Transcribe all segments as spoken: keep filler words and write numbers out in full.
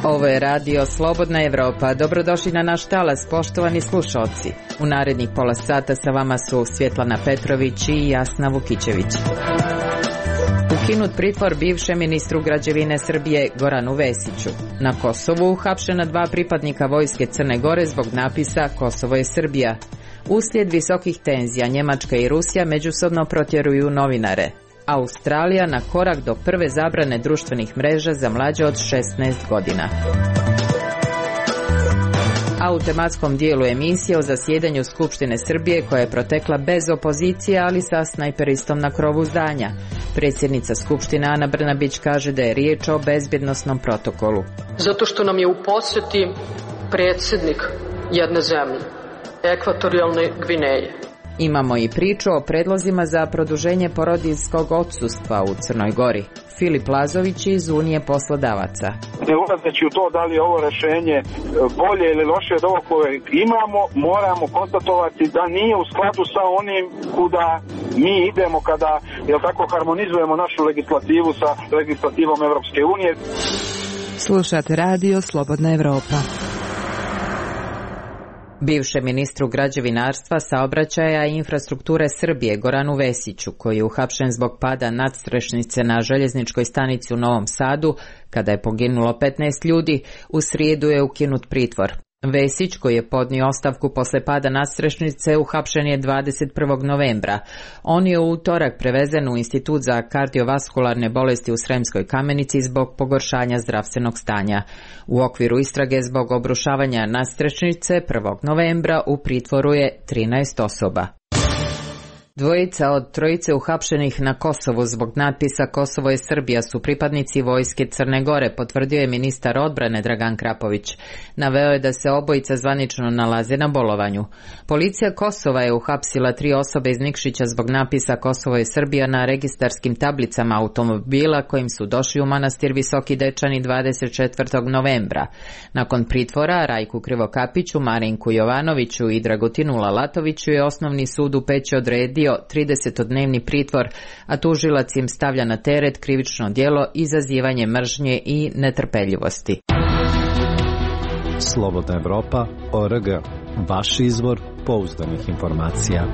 Ovo je radio Slobodna Evropa. Dobrodošli na naš talas, poštovani slušalci. U narednih pola sata sa vama su Svjetlana Petrović i Jasna Vukićević. Ukinut pritvor bivšem ministru građevine Srbije Goranu Vesiću. Na Kosovu uhapšena dva pripadnika vojske Crne Gore zbog napisa Kosovo je Srbija. Uslijed visokih tenzija Njemačka i Rusija međusobno protjeruju novinare. Australija na korak do prve zabrane društvenih mreža za mlađe od šesnaest godina. A u tematskom dijelu emisije o zasjedanju Skupštine Srbije koja je protekla bez opozicije, ali sa snajperistom na krovu zdanja. Predsjednica Skupštine Ana Brnabić kaže da je riječ o bezbjednosnom protokolu. Zato što nam je u posjeti predsjednik jedne zemlje, Ekvatorijalne Gvineje. Imamo i priču o predlozima za produženje porodiljskog odsustva u Crnoj Gori. Filip Lazović iz Unije poslodavaca. Ne ulazeći u to da li je ovo rješenje bolje ili loše od ovog koje imamo, moramo konstatovati da nije u skladu sa onim kuda mi idemo kada, jel tako, harmonizujemo našu legislativu sa legislativom Evropske unije. Slušate radio Slobodna Evropa. Bivšem ministru građevinarstva, saobraćaja i infrastrukture Srbije Goranu Vesiću, koji je uhapšen zbog pada nadstrešnice na željezničkoj stanici u Novom Sadu, kada je poginulo petnaest ljudi, u srijedu je ukinut pritvor. Vesić, koji je podnio ostavku posle pada nadstrešnice, uhapšen je dvadeset prvog novembra. On je u utorak prevezen u Institut za kardiovaskularne bolesti u Sremskoj Kamenici zbog pogoršanja zdravstvenog stanja. U okviru istrage zbog obrušavanja nadstrešnice prvog novembra u pritvoru je trinaest osoba. Dvojica od trojice uhapšenih na Kosovu zbog natpisa Kosovo je Srbija su pripadnici vojske Crne Gore, potvrdio je ministar odbrane Dragan Krapović. Naveo je da se obojica zvanično nalaze na bolovanju. Policija Kosova je uhapsila tri osobe iz Nikšića zbog napisa Kosovo je Srbija na registarskim tablicama automobila kojim su došli u manastir Visoki Dečani dvadeset četvrtog novembra. Nakon pritvora Rajku Krivokapiću, Marinku Jovanoviću i Dragutinu Lalatoviću je osnovni sud u Peći odredio tridesetodnevni pritvor, a tužilac im stavlja na teret krivično djelo izazivanje mržnje i netrpeljivosti. Slobodna Evropa, O R G, vaš izvor pouzdanih informacija.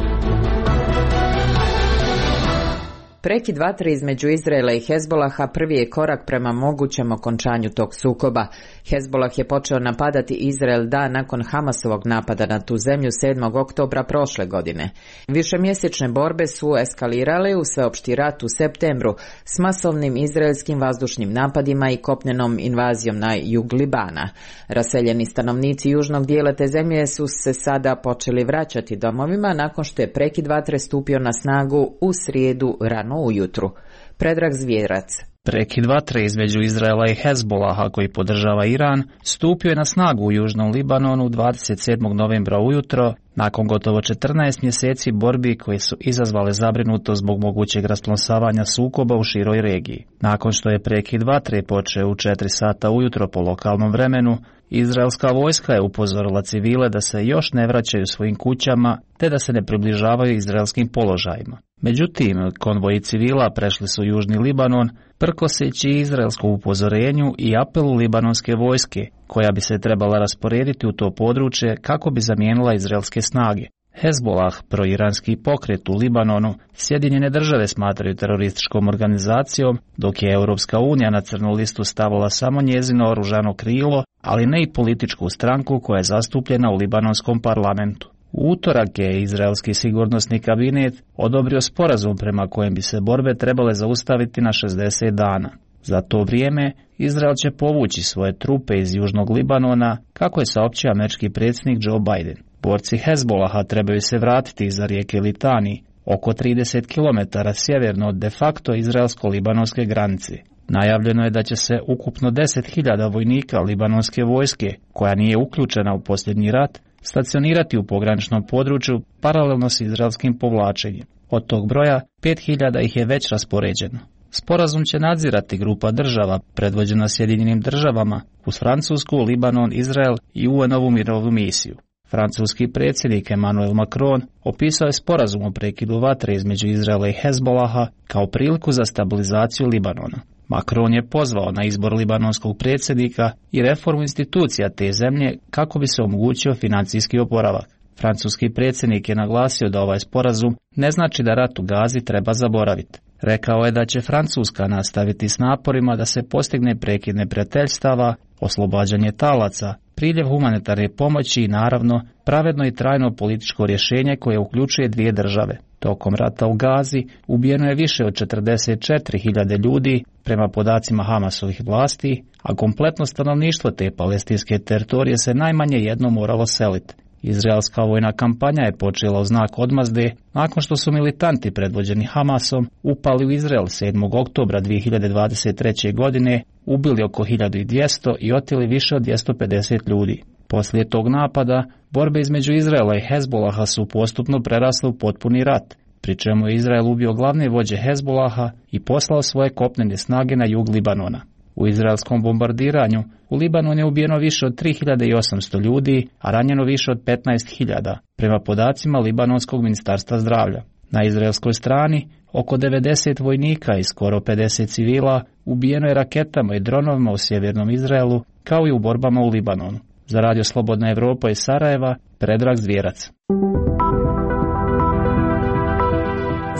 Prekid vatre između Izraela i Hezbolaha prvi je korak prema mogućem okončanju tog sukoba. Hezbolah je počeo napadati Izrael dan nakon Hamasovog napada na tu zemlju sedmog oktobra prošle godine. Višemjesečne borbe su eskalirale u sveopšti rat u septembru s masovnim izraelskim vazdušnim napadima i kopnenom invazijom na jug Libana. Raseljeni stanovnici južnog dijela te zemlje su se sada počeli vraćati domovima nakon što je prekid vatre stupio na snagu u srijedu rano ujutru. Predrag Zvjerac. Prekid vatre između Izraela i Hezbolaha, koji podržava Iran, stupio je na snagu u južnom Libanonu dvadeset sedmog novembra ujutro, nakon gotovo četrnaest mjeseci borbi koje su izazvale zabrinutost zbog mogućeg rasplosavanja sukoba u široj regiji. Nakon što je prekid vatre počeo u četiri sata ujutro po lokalnom vremenu, izraelska vojska je upozorila civile da se još ne vraćaju svojim kućama te da se ne približavaju izraelskim položajima. Međutim, konvoji civila prešli su južni Libanon, prkoseći izraelskom upozorenju i apelu libanonske vojske, koja bi se trebala rasporediti u to područje kako bi zamijenila izraelske snage. Hezbolah, proiranski pokret u Libanonu, Sjedinjene države smatraju terorističkom organizacijom, dok je Europska unija na crnu listu stavila samo njezino oružano krilo, ali ne i političku stranku koja je zastupljena u libanonskom parlamentu. U utorak je izraelski sigurnosni kabinet odobrio sporazum prema kojem bi se borbe trebale zaustaviti na šezdeset dana. Za to vrijeme Izrael će povući svoje trupe iz južnog Libanona, kako je saopćio američki predsjednik Joe Biden. Borci Hezbolaha trebaju se vratiti iza rijeke Litani, oko trideset kilometara sjeverno od de facto izraelsko-libanonske granice. Najavljeno je da će se ukupno deset hiljada vojnika libanonske vojske, koja nije uključena u posljednji rat, stacionirati u pograničnom području paralelno s izraelskim povlačenjem. Od tog broja pet hiljada ih je već raspoređeno. Sporazum će nadzirati grupa država predvođena Sjedinjenim državama uz Francusku, Libanon, Izrael i U N-ovu mirovnu misiju. Francuski predsjednik Emmanuel Macron opisao je sporazum o prekidu vatre između Izraela i Hezbolaha kao priliku za stabilizaciju Libanona. Macron je pozvao na izbor libanonskog predsjednika i reformu institucija te zemlje kako bi se omogućio financijski oporavak. Francuski predsjednik je naglasio da ovaj sporazum ne znači da rat u Gazi treba zaboraviti. Rekao je da će Francuska nastaviti s naporima da se postigne prekid neprijateljstava, oslobađanje talaca, priljev humanitarne pomoći i naravno pravedno i trajno političko rješenje koje uključuje dvije države. Tokom rata u Gazi ubijeno je više od četrdeset četiri hiljade ljudi prema podacima Hamasovih vlasti, a kompletno stanovništvo te palestinske teritorije se najmanje jednom moralo seliti. Izraelska vojna kampanja je počela u znak odmazde nakon što su militanti predvođeni Hamasom upali u Izrael sedmog oktobra dvije hiljade dvadeset treće. godine, ubili oko hiljadu dvjesto i oteli više od dvjesto pedeset ljudi. Poslije tog napada, borbe između Izraela i Hezbolaha su postupno prerasle u potpuni rat, pri čemu je Izrael ubio glavne vođe Hezbolaha i poslao svoje kopnene snage na jug Libanona. U izraelskom bombardiranju u Libanonu je ubijeno više od tri hiljade osamsto ljudi, a ranjeno više od petnaest hiljada, prema podacima Libanonskog ministarstva zdravlja. Na izraelskoj strani oko devedeset vojnika i skoro pedeset civila ubijeno je raketama i dronovima u sjevernom Izraelu, kao i u borbama u Libanonu. Za Radio Slobodna Evropa iz Sarajeva, Predrag Zvijerac.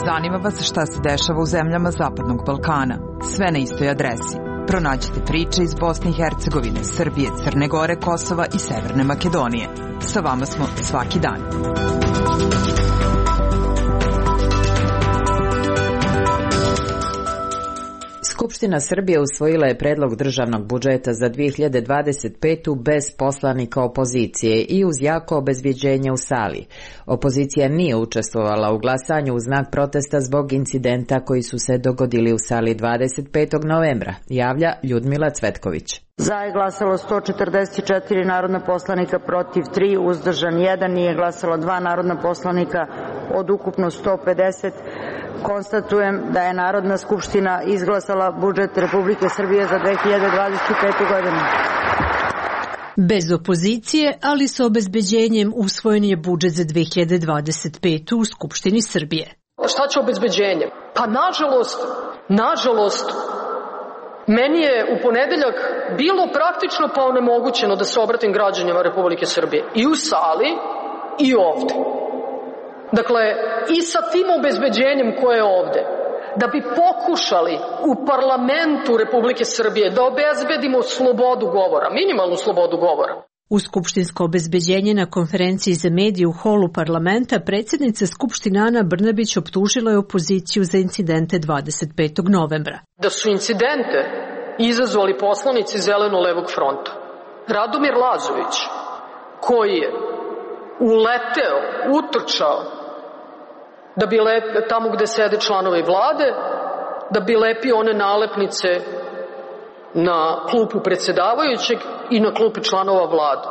Zanima vas šta se dešava u zemljama Zapadnog Balkana. Sve na istoj adresi. Pronađite priče iz Bosne i Hercegovine, Srbije, Crne Gore, Kosova i Severne Makedonije. Sa vama smo svaki dan. Skupština Srbije usvojila je predlog državnog budžeta za dvije hiljade dvadeset petu. bez poslanika opozicije i uz jako obezbjeđenje u sali. Opozicija nije učestvovala u glasanju u znak protesta zbog incidenta koji su se dogodili u sali dvadeset petog novembra, javlja Ljudmila Cvetković. Za je glasalo sto četrdeset četiri narodna poslanika, protiv tri, uzdržan jedan, nije glasalo dva narodna poslanika od ukupno sto pedeset. Konstatujem da je Narodna skupština izglasala budžet Republike Srbije za dve hiljade dvadeset petu. godinu. Bez opozicije, ali sa obezbeđenjem usvojen je budžet za dve hiljade dvadeset petu. u Skupštini Srbije. Šta će obezbeđenje? Pa nažalost, nažalost, meni je u ponedeljak bilo praktično pa onemogućeno da se obratim građanima Republike Srbije. I u sali i ovde. Dakle, i sa tim obezbeđenjem koje je ovde, da bi pokušali u parlamentu Republike Srbije da obezbedimo slobodu govora, minimalnu slobodu govora. U skupštinsko obezbeđenje na konferenciji za medije u holu parlamenta predsjednica Skupštine Ana Brnabić optužila je opoziciju za incidente dvadeset petog novembra. Da su incidente izazvali poslanici Zeleno-levog fronta. Radomir Lazović, koji je uleteo, utrčao, da bi lep, tamo gde sede članovi vlade, da bi lepio one nalepnice na klupu predsjedavajućeg i na klupi članova vlade.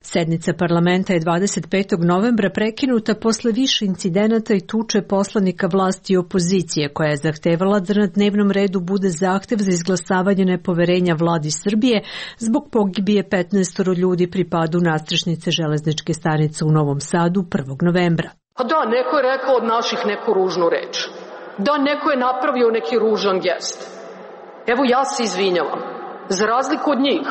Sednica parlamenta je dvadeset petog novembra prekinuta posle više incidenata i tuče poslanika vlasti i opozicije, koja je zahtevala da na dnevnom redu bude zahtev za izglasavanje nepoverenja vladi Srbije zbog pogibije petnaestoro ljudi pri padu nadstrešnice železničke stanice u Novom Sadu prvog novembra. A da, neko je rekao od naših neku ružnu reč. Da, neko je napravio neki ružan gest. Evo, ja se izvinjavam. Za razliku od njih,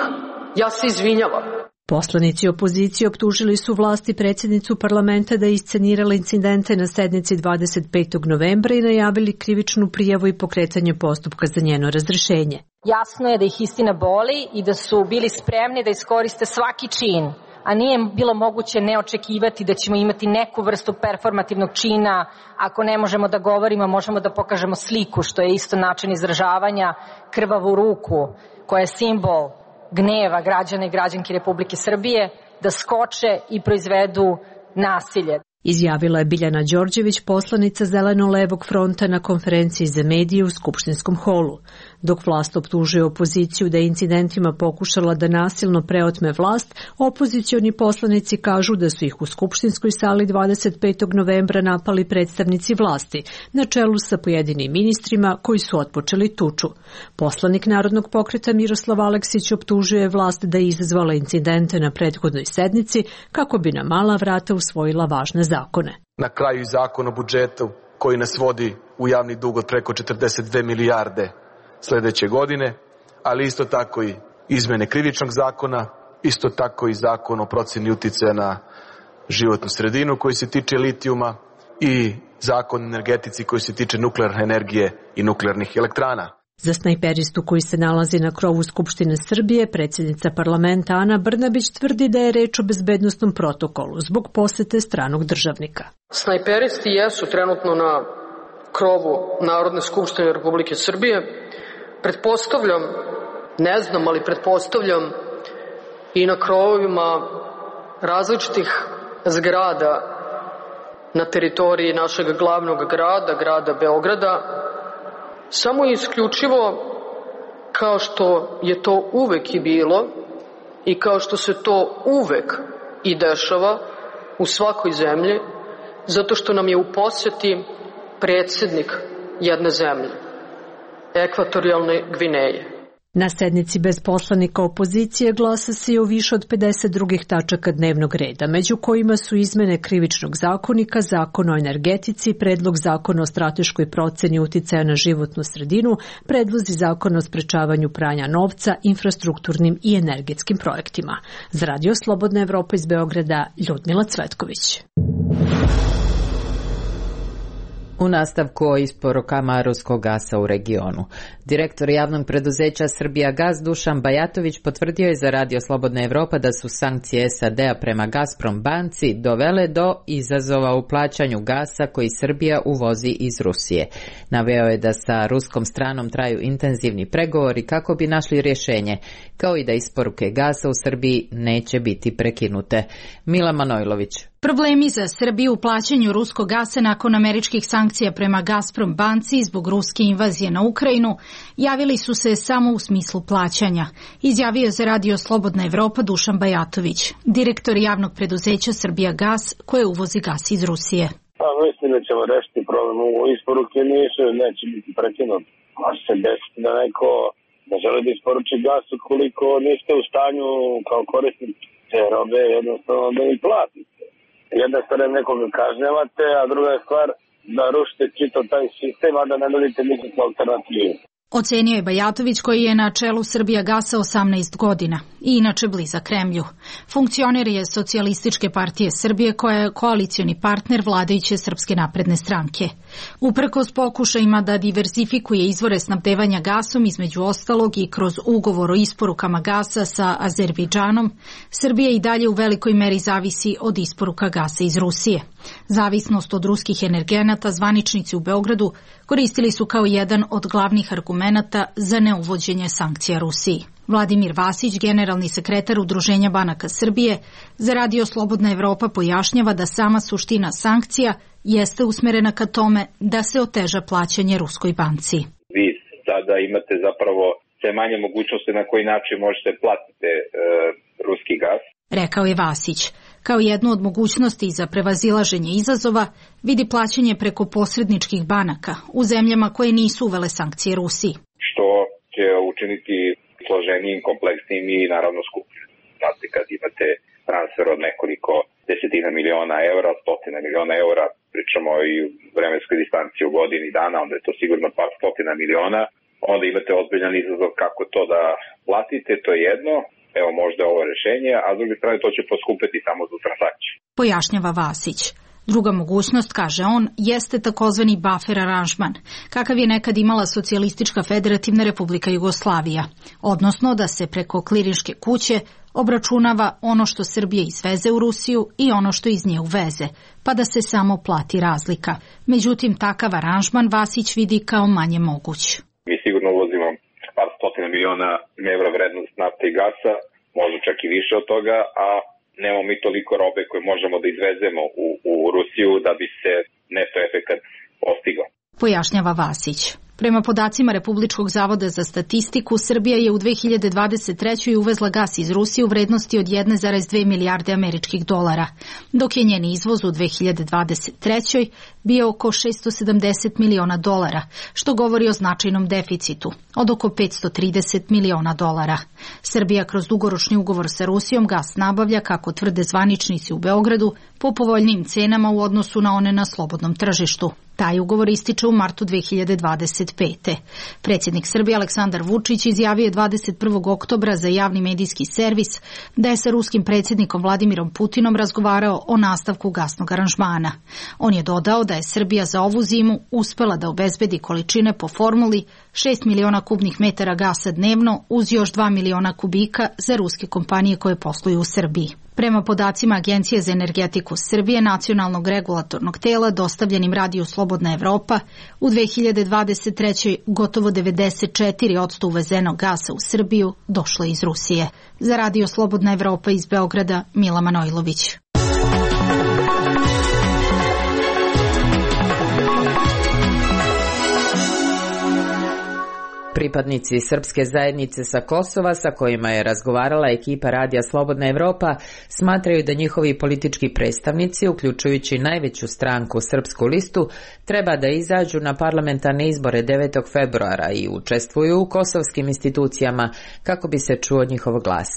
ja se izvinjavam. Poslanici opozicije optužili su vlasti predsjednicu parlamenta da je iscenirala incidente na sednici dvadeset petog novembra i najavili krivičnu prijavu i pokretanje postupka za njeno razrešenje. Jasno je da ih istina boli i da su bili spremni da iskoriste svaki čin, a nije bilo moguće ne očekivati da ćemo imati neku vrstu performativnog čina. Ako ne možemo da govorimo, možemo da pokažemo sliku, što je isto način izražavanja, krvavu ruku, koja je simbol gneva građana i građanki Republike Srbije, da skoče i proizvedu nasilje. Izjavila je Biljana Đorđević, poslanica Zeleno-levog fronta na konferenciji za medije u Skupštinskom holu. Dok vlast optužuje opoziciju da je incidentima pokušala da nasilno preotme vlast, opozicioni poslanici kažu da su ih u Skupštinskoj sali dvadeset petog novembra napali predstavnici vlasti, na čelu sa pojedinim ministrima koji su otpočeli tuču. Poslanik Narodnog pokreta Miroslav Aleksić optužuje vlast da je izazvala incidente na prethodnoj sednici kako bi na mala vrata usvojila važne zakone. Na kraju i zakon o budžetu koji nas vodi u javni dug od preko četrdeset dve milijarde sljedeće godine, ali isto tako i izmene krivičnog zakona, isto tako i zakon o procjeni uticaja na životnu sredinu koji se tiče litijuma i zakon o energetici koji se tiče nuklearne energije i nuklearnih elektrana. Za snajperistu koji se nalazi na krovu Skupštine Srbije, predsjednica parlamenta Ana Brnabić tvrdi da je reč o bezbednostnom protokolu zbog posete stranog državnika. Snajperisti jesu trenutno na krovu Narodne skupštine Republike Srbije. Pretpostavljam, ne znam, ali pretpostavljam i na krovovima različitih zgrada na teritoriji našeg glavnog grada, grada Beograda, samo i isključivo kao što je to uvek i bilo i kao što se to uvek i dešava u svakoj zemlji, zato što nam je u poseti predsjednik jedne zemlje, Ekvatorijalne Gvineje. Na sednici bez poslanika opozicije glasa se i o više od pedeset drugih tačaka dnevnog reda, među kojima su izmene krivičnog zakonika, zakon o energetici, predlog zakona o strateškoj proceni uticaja na životnu sredinu, predlozi zakona o sprečavanju pranja novca, infrastrukturnim i energetskim projektima. Za Radio Slobodna Evropa iz Beograda, Ljudmila Cvetković. U nastavku o isporukama ruskog gasa u regionu. Direktor javnog preduzeća Srbijagas Dušan Bajatović potvrdio je za Radio Slobodna Evropa da su sankcije S A D-a prema Gazprom banci dovele do izazova u plaćanju gasa koji Srbija uvozi iz Rusije. Naveo je da sa ruskom stranom traju intenzivni pregovori kako bi našli rješenje, kao i da isporuke gasa u Srbiji neće biti prekinute. Mila Manojlović. Problemi za Srbiju u plaćanju ruskog gasa nakon američkih sankcija prema Gazprom banci zbog ruske invazije na Ukrajinu javili su se samo u smislu plaćanja, izjavio je za Radio Slobodna Evropa Dušan Bajatović, direktor javnog preduzeća Srbijagas koje uvozi gas iz Rusije. Pa mislim da ćemo rešiti problem u isporuke, nisu, neće biti prekinut. Može se desiti da neko ne želi da isporuči gas ukoliko niste u stanju kao korisnik te robe jednostavno da im platite. Jedna stvar je nekoga kažnjavate, a druga je stvar da rušite čitav taj sistem, a da ne nudite nikakvu alternativu. Ocenio je Bajatović koji je na čelu Srbijagasa osamnaest godina i inače blizak Kremlju. Funkcioner je Socijalističke partije Srbije koja je koalicioni partner vladajuće Srpske napredne stranke. Uprkos pokušajima da diversifikuje izvore snabdevanja gasom, između ostalog i kroz ugovor o isporukama gasa sa Azerbejdžanom, Srbija i dalje u velikoj meri zavisi od isporuka gasa iz Rusije. Zavisnost od ruskih energenata zvaničnici u Beogradu koristili su kao jedan od glavnih argumenata za neuvođenje sankcija Rusiji. Vladimir Vasić, generalni sekretar Udruženja banaka Srbije, za Radio Slobodna Evropa pojašnjava da sama suština sankcija jeste usmerena ka tome da se oteža plaćanje ruskoj banci. Vi sada imate zapravo sve manje mogućnosti na koji način možete platiti e, ruski gas. Rekao je Vasić. Kao jednu od mogućnosti za prevazilaženje izazova vidi plaćanje preko posredničkih banaka u zemljama koje nisu uvele sankcije Rusiji. Što će učiniti složenijim, kompleksnijim i naravno skupljim. Znate, kad imate transfer od nekoliko desetina miliona eura, stotina miliona eura, pričamo i u vremenskoj distanci u godini dana, onda je to sigurno par stotina miliona, onda imate ozbiljan izazov kako to da platite, to je jedno. Evo možda ovo rješenje, a s druge strane to će poskupiti samo za transakciju. Pojašnjava Vasić. Druga mogućnost, kaže on, jeste takozvani buffer aranžman, kakav je nekad imala Socijalistička federativna republika Jugoslavija, odnosno da se preko klirinške kuće obračunava ono što Srbija izveze u Rusiju i ono što iz nje uveze, pa da se samo plati razlika. Međutim, takav aranžman Vasić vidi kao manje moguć. Mi sigurno uvozimo par stotina miliona evra vrednost nafte i gasa, možda čak i više od toga, a nemamo mi toliko robe koje možemo da izvezemo u, u Rusiju da bi se neto efekat postigao. Pojašnjava Vasić. Prema podacima Republičkog zavoda za statistiku, Srbija je u dve hiljade dvadeset trećoj uvezla gas iz Rusije u vrednosti od jedne zarez dve milijarde američkih dolara, dok je njen izvoz u dve hiljade dvadeset trećoj bio oko šesto sedamdeset miliona dolara, što govori o značajnom deficitu od oko petsto trideset miliona dolara. Srbija kroz dugoročni ugovor sa Rusijom gas nabavlja, kako tvrde zvaničnici u Beogradu, po povoljnijim cenama u odnosu na one na slobodnom tržištu. Taj ugovor ističe u martu dve hiljade dvadeset pete. Predsjednik Srbije Aleksandar Vučić izjavio je dvadeset prvog oktobra za javni medijski servis da je sa ruskim predsjednikom Vladimirom Putinom razgovarao o nastavku gasnog aranžmana. On je dodao da je Srbija za ovu zimu uspela da obezbedi količine po formuli šest miliona kubnih metara gasa dnevno uz još dva miliona kubika za ruske kompanije koje posluju u Srbiji. Prema podacima Agencije za energetiku Srbije, nacionalnog regulatornog tela, dostavljenim radiju Slobodna Evropa, u dve hiljade dvadeset trećoj gotovo devedeset četiri posto uvezenog gasa u Srbiju došlo iz Rusije. Za radio Slobodna Evropa iz Beograda, Mila Manojlović. Pripadnici srpske zajednice sa Kosova, sa kojima je razgovarala ekipa radija Slobodna Evropa, smatraju da njihovi politički predstavnici, uključujući najveću stranku Srpsku listu, treba da izađu na parlamentarne izbore devetog februara i učestvuju u kosovskim institucijama kako bi se čuo njihov glas.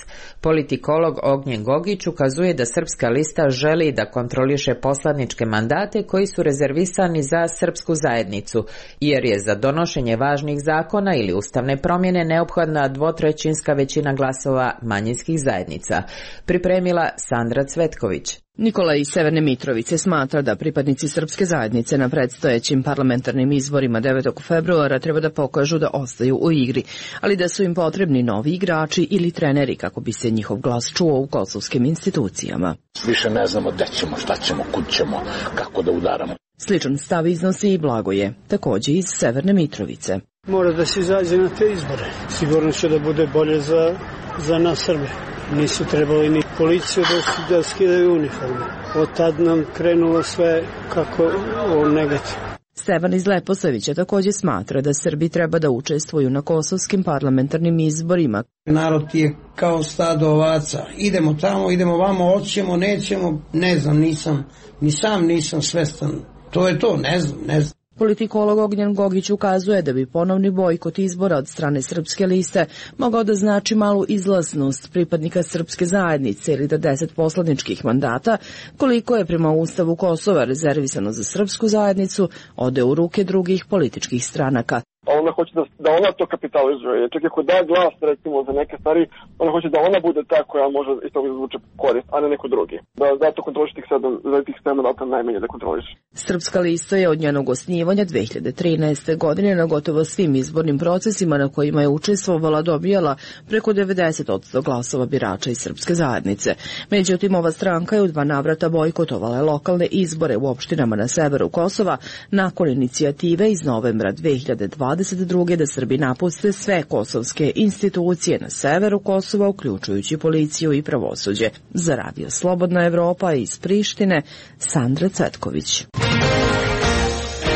Politikolog Ognjen Gogić ukazuje da Srpska lista želi da kontroliše poslaničke mandate koji su rezervisani za srpsku zajednicu, jer je za donošenje važnih zakona ili ustavne promjene neophodna dvotrećinska većina glasova manjinskih zajednica. Pripremila Sandra Cvetković. Nikola iz Severne Mitrovice smatra da pripadnici srpske zajednice na predstojećim parlamentarnim izborima devetog februara treba da pokažu da ostaju u igri, ali da su im potrebni novi igrači ili treneri kako bi se njihov glas čuo u kosovskim institucijama. Više ne znamo gde ćemo, šta ćemo, kud ćemo, kako da udaramo. Sličan stav iznosi i Blagoje, također iz Severne Mitrovice. Mora da se izađe na te izbore. Sigurno će da bude bolje za, za nas Srbe. Nisu trebali ni policiju da, da skidaju uniforme. Od tad nam krenulo sve kako o negativno. Stevan iz Leposavića također smatra da Srbi treba da učestvuju na kosovskim parlamentarnim izborima. Narod je kao stado ovaca. Idemo tamo, idemo vamo, hoćemo, nećemo, ne znam, nisam, ni sam nisam svestan. To je to, ne znam, ne znam. Politikolog Ognjen Gogić ukazuje da bi ponovni bojkot izbora od strane Srpske liste mogao da znači malu izlaznost pripadnika srpske zajednice ili da deset poslaničkih mandata, koliko je prema Ustavu Kosova rezervisano za srpsku zajednicu, ode u ruke drugih političkih stranaka. Ona hoće da, da ona to kapitalizuje. Čak ako da glas, recimo, za neke stvari, ona hoće da ona bude ta koja može iz toga izvuče korist, a ne neko drugi. Da zato kontroliš tih sedam, za tih sedam mandata najmanje da kontroliš. Srpska lista je od njenog osnivanja dve hiljade trinaeste. godine na gotovo svim izbornim procesima na kojima je učestvovala dobijala preko devedeset posto glasova birača iz srpske zajednice. Međutim, ova stranka je u dva navrata bojkotovala lokalne izbore u opštinama na severu Kosova nakon inicijative iz novembra dve hiljade dvadeset druge. da Srbi napuste sve kosovske institucije na severu Kosova, uključujući policiju i pravosuđe. Za radio Slobodna Evropa iz Prištine, Sandra Cvetković.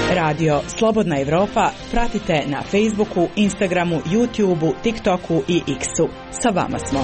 Radio Slobodna Evropa pratite na Facebooku, Instagramu, YouTubeu, TikToku i X-u. Sa vama smo.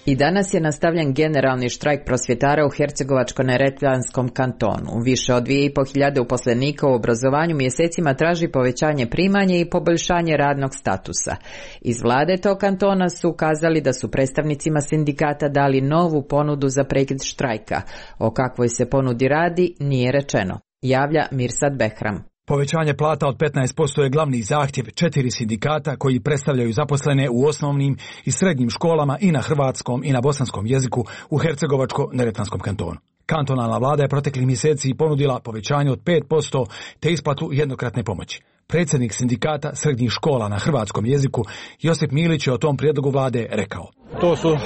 I danas je nastavljen generalni štrajk prosvjetara u Hercegovačko-neretvanskom kantonu. Više od dvije i po hiljade uposlenika u obrazovanju mjesecima traži povećanje primanja i poboljšanje radnog statusa. Iz vlade tog kantona su ukazali da su predstavnicima sindikata dali novu ponudu za prekid štrajka. O kakvoj se ponudi radi nije rečeno. Javlja Mirsad Behram. Povećanje plata od petnaest posto je glavni zahtjev četiri sindikata koji predstavljaju zaposlene u osnovnim i srednjim školama i na hrvatskom i na bosanskom jeziku u Hercegovačko-neretvanskom kantonu. Kantonalna vlada je proteklih mjeseci ponudila povećanje od pet posto te isplatu jednokratne pomoći. Predsjednik sindikata srednjih škola na hrvatskom jeziku Josip Milić je o tom prijedlogu vlade rekao. To su uh,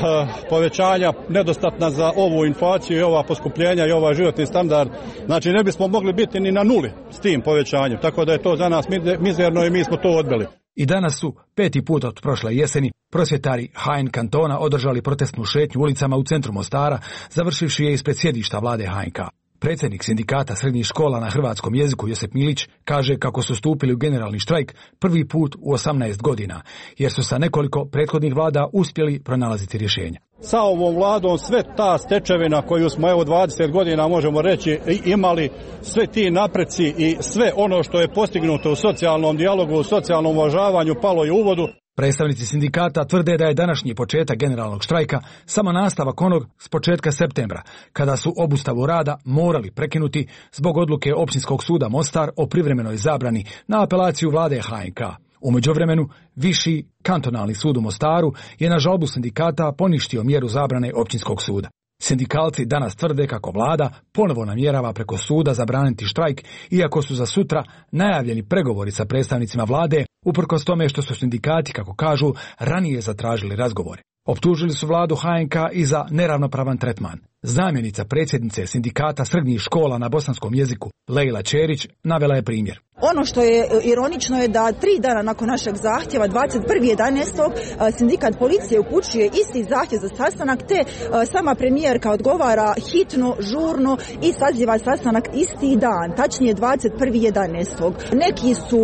povećanja nedostatna za ovu inflaciju i ova poskupljenja i ovaj životni standard. Znači ne bismo mogli biti ni na nuli s tim povećanjem, tako da je to za nas mizerno i mi smo to odbili. I danas su, peti put od prošle jeseni, prosvjetari H N kantona održali protestnu šetnju ulicama u centru Mostara, završivši je ispred sjedišta vlade H N K. Predsjednik sindikata srednjih škola na hrvatskom jeziku Josip Milić kaže kako su stupili u generalni štrajk prvi put u osamnaest godina, jer su sa nekoliko prethodnih vlada uspjeli pronalaziti rješenja. Sa ovom vladom sve ta stečevina koju smo evo dvadeset godina možemo reći imali, sve ti napreci i sve ono što je postignuto u socijalnom dijalogu, u socijalnom uvažavanju palo je u vodu. Predstavnici sindikata tvrde da je današnji početak generalnog štrajka samo nastavak onog s početka septembra, kada su obustavu rada morali prekinuti zbog odluke Općinskog suda Mostar o privremenoj zabrani na apelaciju vlade H N K. U međuvremenu, Viši kantonalni sud u Mostaru je na žalbu sindikata poništio mjeru zabrane Općinskog suda. Sindikalci danas tvrde kako vlada ponovo namjerava preko suda zabraniti štrajk, iako su za sutra najavljeni pregovori sa predstavnicima vlade, uprkos tome što su sindikati, kako kažu, ranije zatražili razgovore. Optužili su vladu H N K i za neravnopravan tretman. Zamjenica predsjednice sindikata srednjih škola na bosanskom jeziku, Lejla Čerić, navela je primjer. Ono što je ironično je da tri dana nakon našeg zahtjeva, dvadeset prvog jedanaestog sindikat policije upućuje isti zahtjev za sastanak, te sama premijerka odgovara hitno, žurno i saziva sastanak isti dan, tačnije dvadeset prvog jedanaestog Neki su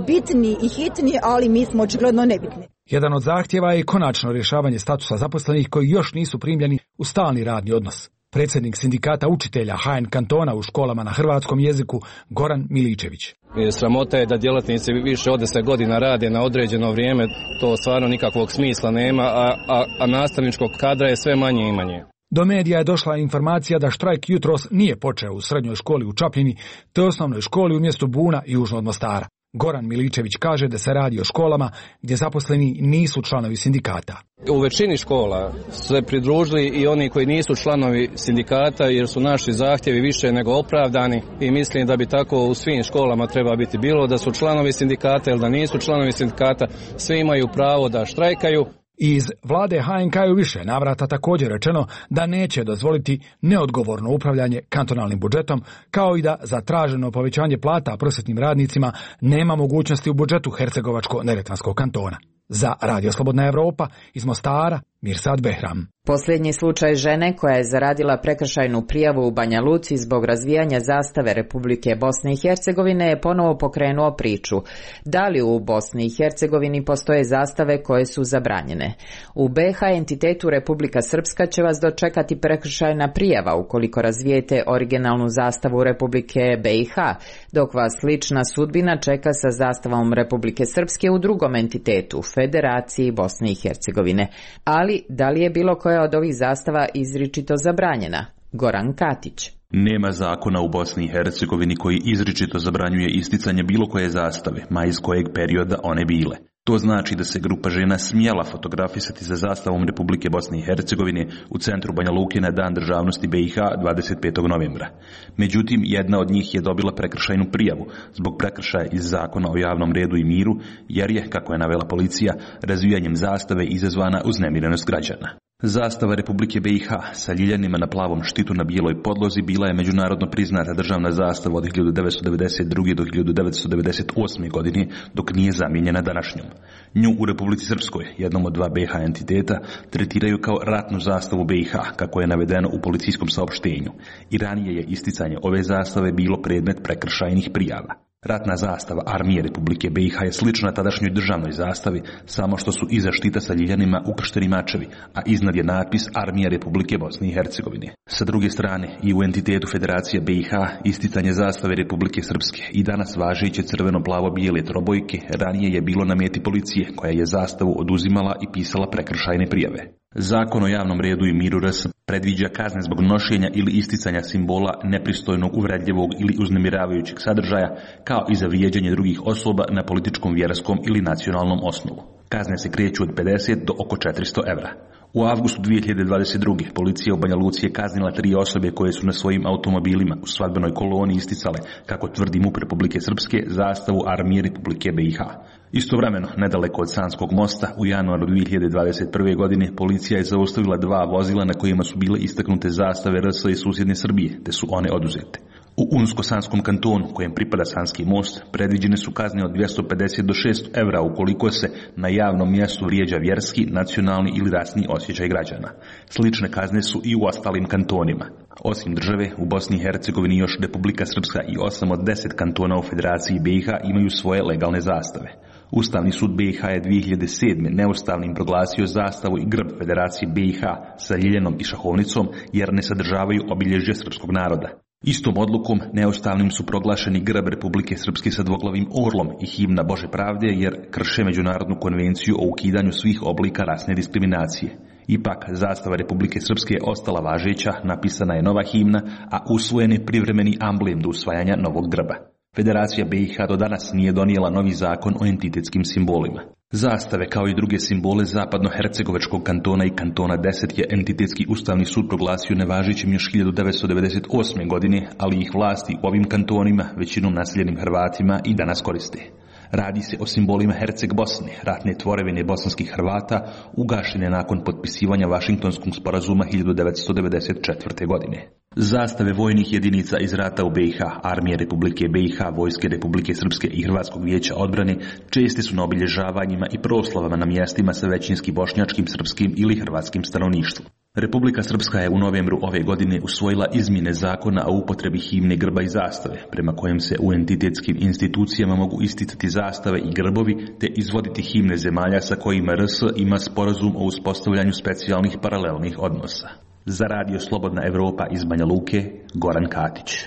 bitni i hitni, ali mi smo očigledno nebitni. Jedan od zahtjeva je konačno rješavanje statusa zaposlenih koji još nisu primljeni u stalni radni odnos. Predsjednik sindikata učitelja H N kantona u školama na hrvatskom jeziku Goran Miličević. Sramota je da djelatnici više od deset godina rade na određeno vrijeme, to stvarno nikakvog smisla nema, a, a, a nastavničkog kadra je sve manje i manje. Do medija je došla informacija da štrajk jutros nije počeo u srednjoj školi u Čapljini, te osnovnoj školi u mjestu Buna južno od Mostara. Goran Miličević kaže da se radi o školama gdje zaposleni nisu članovi sindikata. U većini škola se pridružili i oni koji nisu članovi sindikata, jer su naši zahtjevi više nego opravdani i mislim da bi tako u svim školama treba biti, bilo da su članovi sindikata ili da nisu članovi sindikata, svi imaju pravo da štrajkaju. Iz vlade H N K u više navrata također rečeno da neće dozvoliti neodgovorno upravljanje kantonalnim budžetom, kao i da za traženo povećanje plata prosvjetnim radnicima nema mogućnosti u budžetu Hercegovačko-neretvanskog kantona. Za Radio Slobodna Evropa iz Mostara, Mirsad Behram. Posljednji slučaj žene koja je zaradila prekršajnu prijavu u Banja Luci zbog razvijanja zastave Republike Bosne i Hercegovine je ponovo pokrenuo priču. Da li u Bosni i Hercegovini postoje zastave koje su zabranjene? U B H entitetu Republika Srpska će vas dočekati prekršajna prijava ukoliko razvijete originalnu zastavu Republike B i H, dok vas slična sudbina čeka sa zastavom Republike Srpske u drugom entitetu, Federaciji Bosne i Hercegovine. Ali da li je bilo koja od ovih zastava izričito zabranjena? Goran Katić. Nema zakona u Bosni i Hercegovini koji izričito zabranjuje isticanje bilo koje zastave, ma iz kojeg perioda one bile. To znači da se grupa žena smjela fotografisati sa zastavom Republike Bosne i Hercegovine u centru Banja Luke na Dan državnosti B i H dvadeset petog novembra. Međutim, jedna od njih je dobila prekršajnu prijavu zbog prekršaja iz zakona o javnom redu i miru, jer je, kako je navela policija, razvijanjem zastave izazvana uznemirenost građana. Zastava Republike B i H sa ljiljanima na plavom štitu na bijeloj podlozi bila je međunarodno priznata državna zastava od hiljadu devetsto devedeset druge do hiljadu devetsto devedeset osme godine, dok nije zamijenjena današnjom. Nju u Republici Srpskoj, jednom od dva B H entiteta, tretiraju kao ratnu zastavu B i H, kako je navedeno u policijskom saopštenju. I ranije je isticanje ove zastave bilo predmet prekršajnih prijava. Ratna zastava Armije Republike B i H je slična tadašnjoj državnoj zastavi, samo što su iza štita sa ljiljanima ukršteni mačevi, a iznad je natpis Armija Republike Bosne i Hercegovine. Sa druge strane, i u entitetu Federacije B i H isticanje zastave Republike Srpske i danas važeće crveno-plavo-bijele trobojke ranije je bilo na meti policije, koja je zastavu oduzimala i pisala prekršajne prijave. Zakon o javnom redu i miru R S predviđa kazne zbog nošenja ili isticanja simbola nepristojnog, uvredljivog ili uznemiravajućeg sadržaja, kao i za vrijeđanje drugih osoba na političkom, vjerskom ili nacionalnom osnovu. Kazne se kreću od pedeset do oko četiristo evra. U avgustu dvije hiljade dvadeset druge policija u Banja Luci je kaznila tri osobe koje su na svojim automobilima u svadbenoj koloni isticale, kako tvrdi MUP Republike Srpske, zastavu Armije Republike B i H. Istovremeno, nedaleko od Sanskog mosta, u januaru dvije hiljade dvadeset prve. godine policija je zaustavila dva vozila na kojima su bile istaknute zastave R S i susjedne Srbije, te su one oduzete. U Unsko-Sanskom kantonu, kojem pripada Sanski most, predviđene su kazne od dvjesto pedeset do šesto evra ukoliko se na javnom mjestu vrijeđa vjerski, nacionalni ili rasni osjećaj građana. Slične kazne su i u ostalim kantonima. Osim države, u Bosni i Hercegovini još Republika Srpska i osam od deset kantona u Federaciji B i H imaju svoje legalne zastave. Ustavni sud B i H je dvije hiljade sedme neustavnim proglasio zastavu i grb Federacije B i H sa ljiljenom i šahovnicom jer ne sadržavaju obilježje srpskog naroda. Istom odlukom neustavnim su proglašeni grb Republike Srpske sa dvoglavim orlom i himna Bože pravde jer krše Međunarodnu konvenciju o ukidanju svih oblika rasne diskriminacije. Ipak, zastava Republike Srpske je ostala važeća, napisana je nova himna, a usvojen je privremeni amblem do usvajanja novog grba. Federacija B i H do danas nije donijela novi zakon o entitetskim simbolima. Zastave kao i druge simbole zapadno-hercegovačkog kantona i kantona deset je entitetski ustavni sud proglasio nevažećim još hiljadu devetsto devedeset osme. godine, ali ih vlasti u ovim kantonima, većinom naseljenim Hrvatima, i danas koriste. Radi se o simbolima Herceg Bosne, ratne tvorevine bosanskih Hrvata, ugašene nakon potpisivanja Vašingtonskog sporazuma hiljadu devetsto devedeset četvrte. godine. Zastave vojnih jedinica iz rata u B i H, Armije Republike B i H, Vojske Republike Srpske i Hrvatskog vijeća odbrane česte su na obilježavanjima i proslavama na mjestima sa većinski bošnjačkim, srpskim ili hrvatskim stanovništvom. Republika Srpska je u novembru ove godine usvojila izmjene zakona o upotrebi himne, grba i zastave, prema kojem se u entitetskim institucijama mogu isticati zastave i grbovi te izvoditi himne zemalja sa kojima R S ima sporazum o uspostavljanju specijalnih paralelnih odnosa. Za Radio Slobodna Evropa iz Banja Luke, Goran Katić.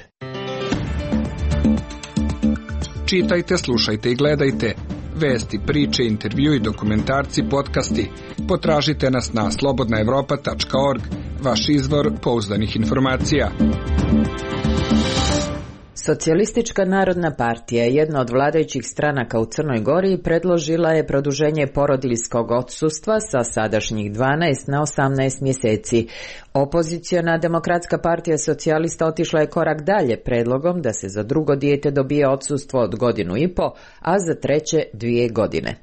Čitajte, slušajte i gledajte. Vesti, priče, intervju i dokumentarci, podcasti. Potražite nas na slobodna evropa tačka org, vaš izvor pouzdanih informacija. Socijalistička narodna partija, jedna od vladajućih stranaka u Crnoj Gori, predložila je produženje porodiljskog odsustva sa sadašnjih dvanaest na osamnaest mjeseci. Opoziciona Demokratska partija socijalista otišla je korak dalje predlogom da se za drugo dijete dobije odsustvo od godinu i po, a za treće dvije godine.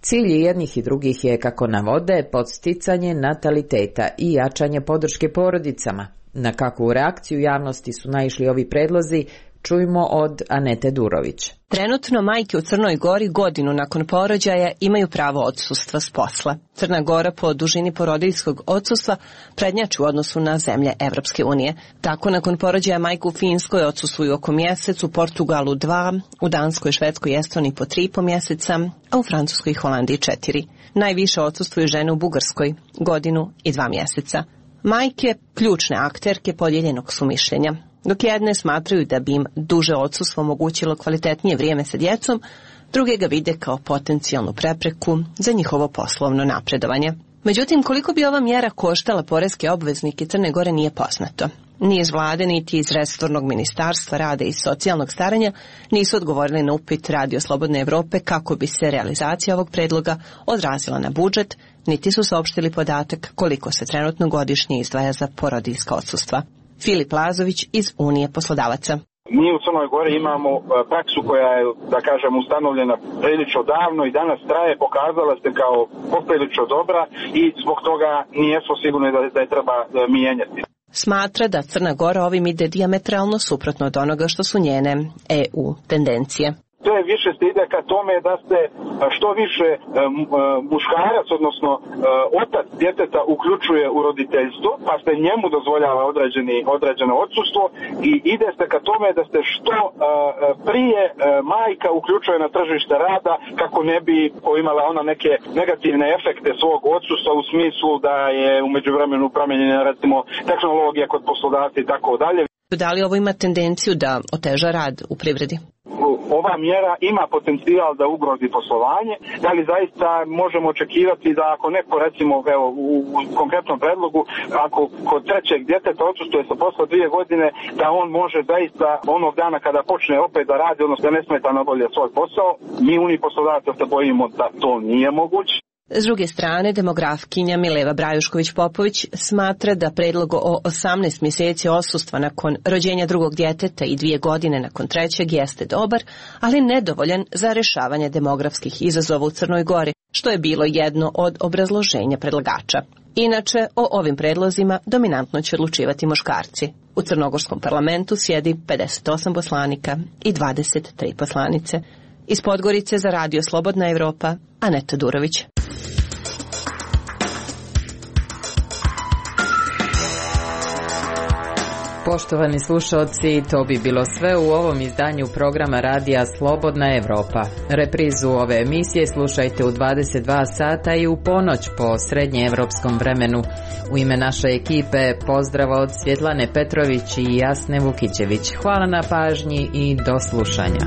Cilj jednih i drugih je, kako navode, podsticanje nataliteta i jačanje podrške porodicama. Na kakvu reakciju javnosti su naišli ovi predlozi, čujmo od Anete Durović. Trenutno majke u Crnoj Gori godinu nakon porođaja imaju pravo odsustva s posla. Crna Gora po dužini porodiljskog odsustva prednjači u odnosu na zemlje Evropske unije. Tako nakon porođaja majku u Finskoj odsustvuju oko mjesec, u Portugalu dva, u Danskoj, Švedskoj i Estoniji po tri po mjeseca, a u Francuskoj i Holandiji četiri. Najviše odsustvuju žene u Bugarskoj, godinu i dva mjeseca. Majke, ključne akterke podijeljenog su mišljenja. Dok jedne smatraju da bi im duže odsustvo omogućilo kvalitetnije vrijeme sa djecom, druge ga vide kao potencijalnu prepreku za njihovo poslovno napredovanje. Međutim, koliko bi ova mjera koštala poreske obveznike Crne Gore nije poznato. Ni iz vlade, niti iz resornog ministarstva rada i socijalnog staranja nisu odgovorili na upit Radio Slobodne Evrope kako bi se realizacija ovog predloga odrazila na budžet, niti su saopštili podatak koliko se trenutno godišnje izdvaja za porodiljska odsustva. Filip Lazović iz Unije poslodavaca. Mi u Crnoj Gori imamo praksu koja je, da kažem, ustanovljena prilično davno i danas traje, pokazala se kao poprilično dobra i zbog toga nijesmo sigurni da, da je treba mijenjati. Smatra da Crna Gora ovim ide dijametralno suprotno od onoga što su njene E U tendencije. To je više se ide ka tome da se što više muškarac, odnosno otac djeteta uključuje u roditeljstvo, pa se njemu dozvoljava određeni, određeno odsustvo i ide se ka tome da se što prije majka uključuje na tržište rada kako ne bi imala ona neke negativne efekte svog odsustva u smislu da je u međuvremenu promijenjena recimo tehnologija kod poslodavca i tako dalje. Da li ovo ima tendenciju da oteža rad u privredi? Ova mjera ima potencijal da ugrozi poslovanje, da li zaista možemo očekivati da ako neko, recimo, evo, u, u konkretnom predlogu, ako kod trećeg djeteta odsustuje sa posla dvije godine, da on može zaista onog dana kada počne opet da radi, odnosno da ne smeta nabolje svoj posao, mi uni poslodavca se bojimo da to nije moguće. S druge strane, demografkinja Mileva Brajušković-Popović smatra da predlog o osamnaest mjeseci odsustva nakon rođenja drugog djeteta i dvije godine nakon trećeg jeste dobar, ali nedovoljan za rješavanje demografskih izazova u Crnoj Gori, što je bilo jedno od obrazloženja predlagača. Inače, o ovim predlozima dominantno će odlučivati muškarci. U crnogorskom parlamentu sjedi pedeset osam poslanika i dvadeset tri poslanice. Iz Podgorice za radio Slobodna Evropa, Aneta Durović. Poštovani slušalci, to bi bilo sve u ovom izdanju programa radija Slobodna Evropa. Reprizu ove emisije slušajte u dvadeset dva sata i u ponoć po srednjeevropskom vremenu. U ime naše ekipe pozdrav od Svjetlane Petrović i Jasne Vukićević. Hvala na pažnji i do slušanja.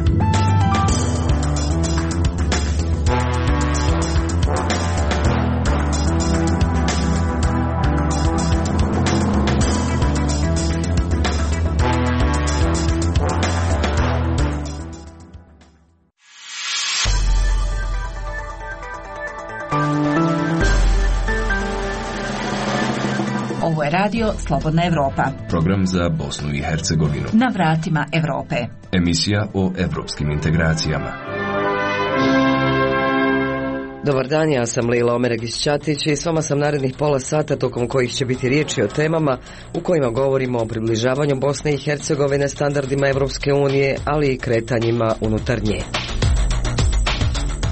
Ovo je radio Slobodna Evropa. Program za Bosnu i Hercegovinu. Na vratima Evrope. Emisija o evropskim integracijama. Dobar dan, ja sam Lila Omeregić-Ćatić i s vama sam narednih pola sata tokom kojih će biti riječi o temama u kojima govorimo o približavanju Bosne i Hercegovine standardima Evropske unije, ali i kretanjima unutar nje.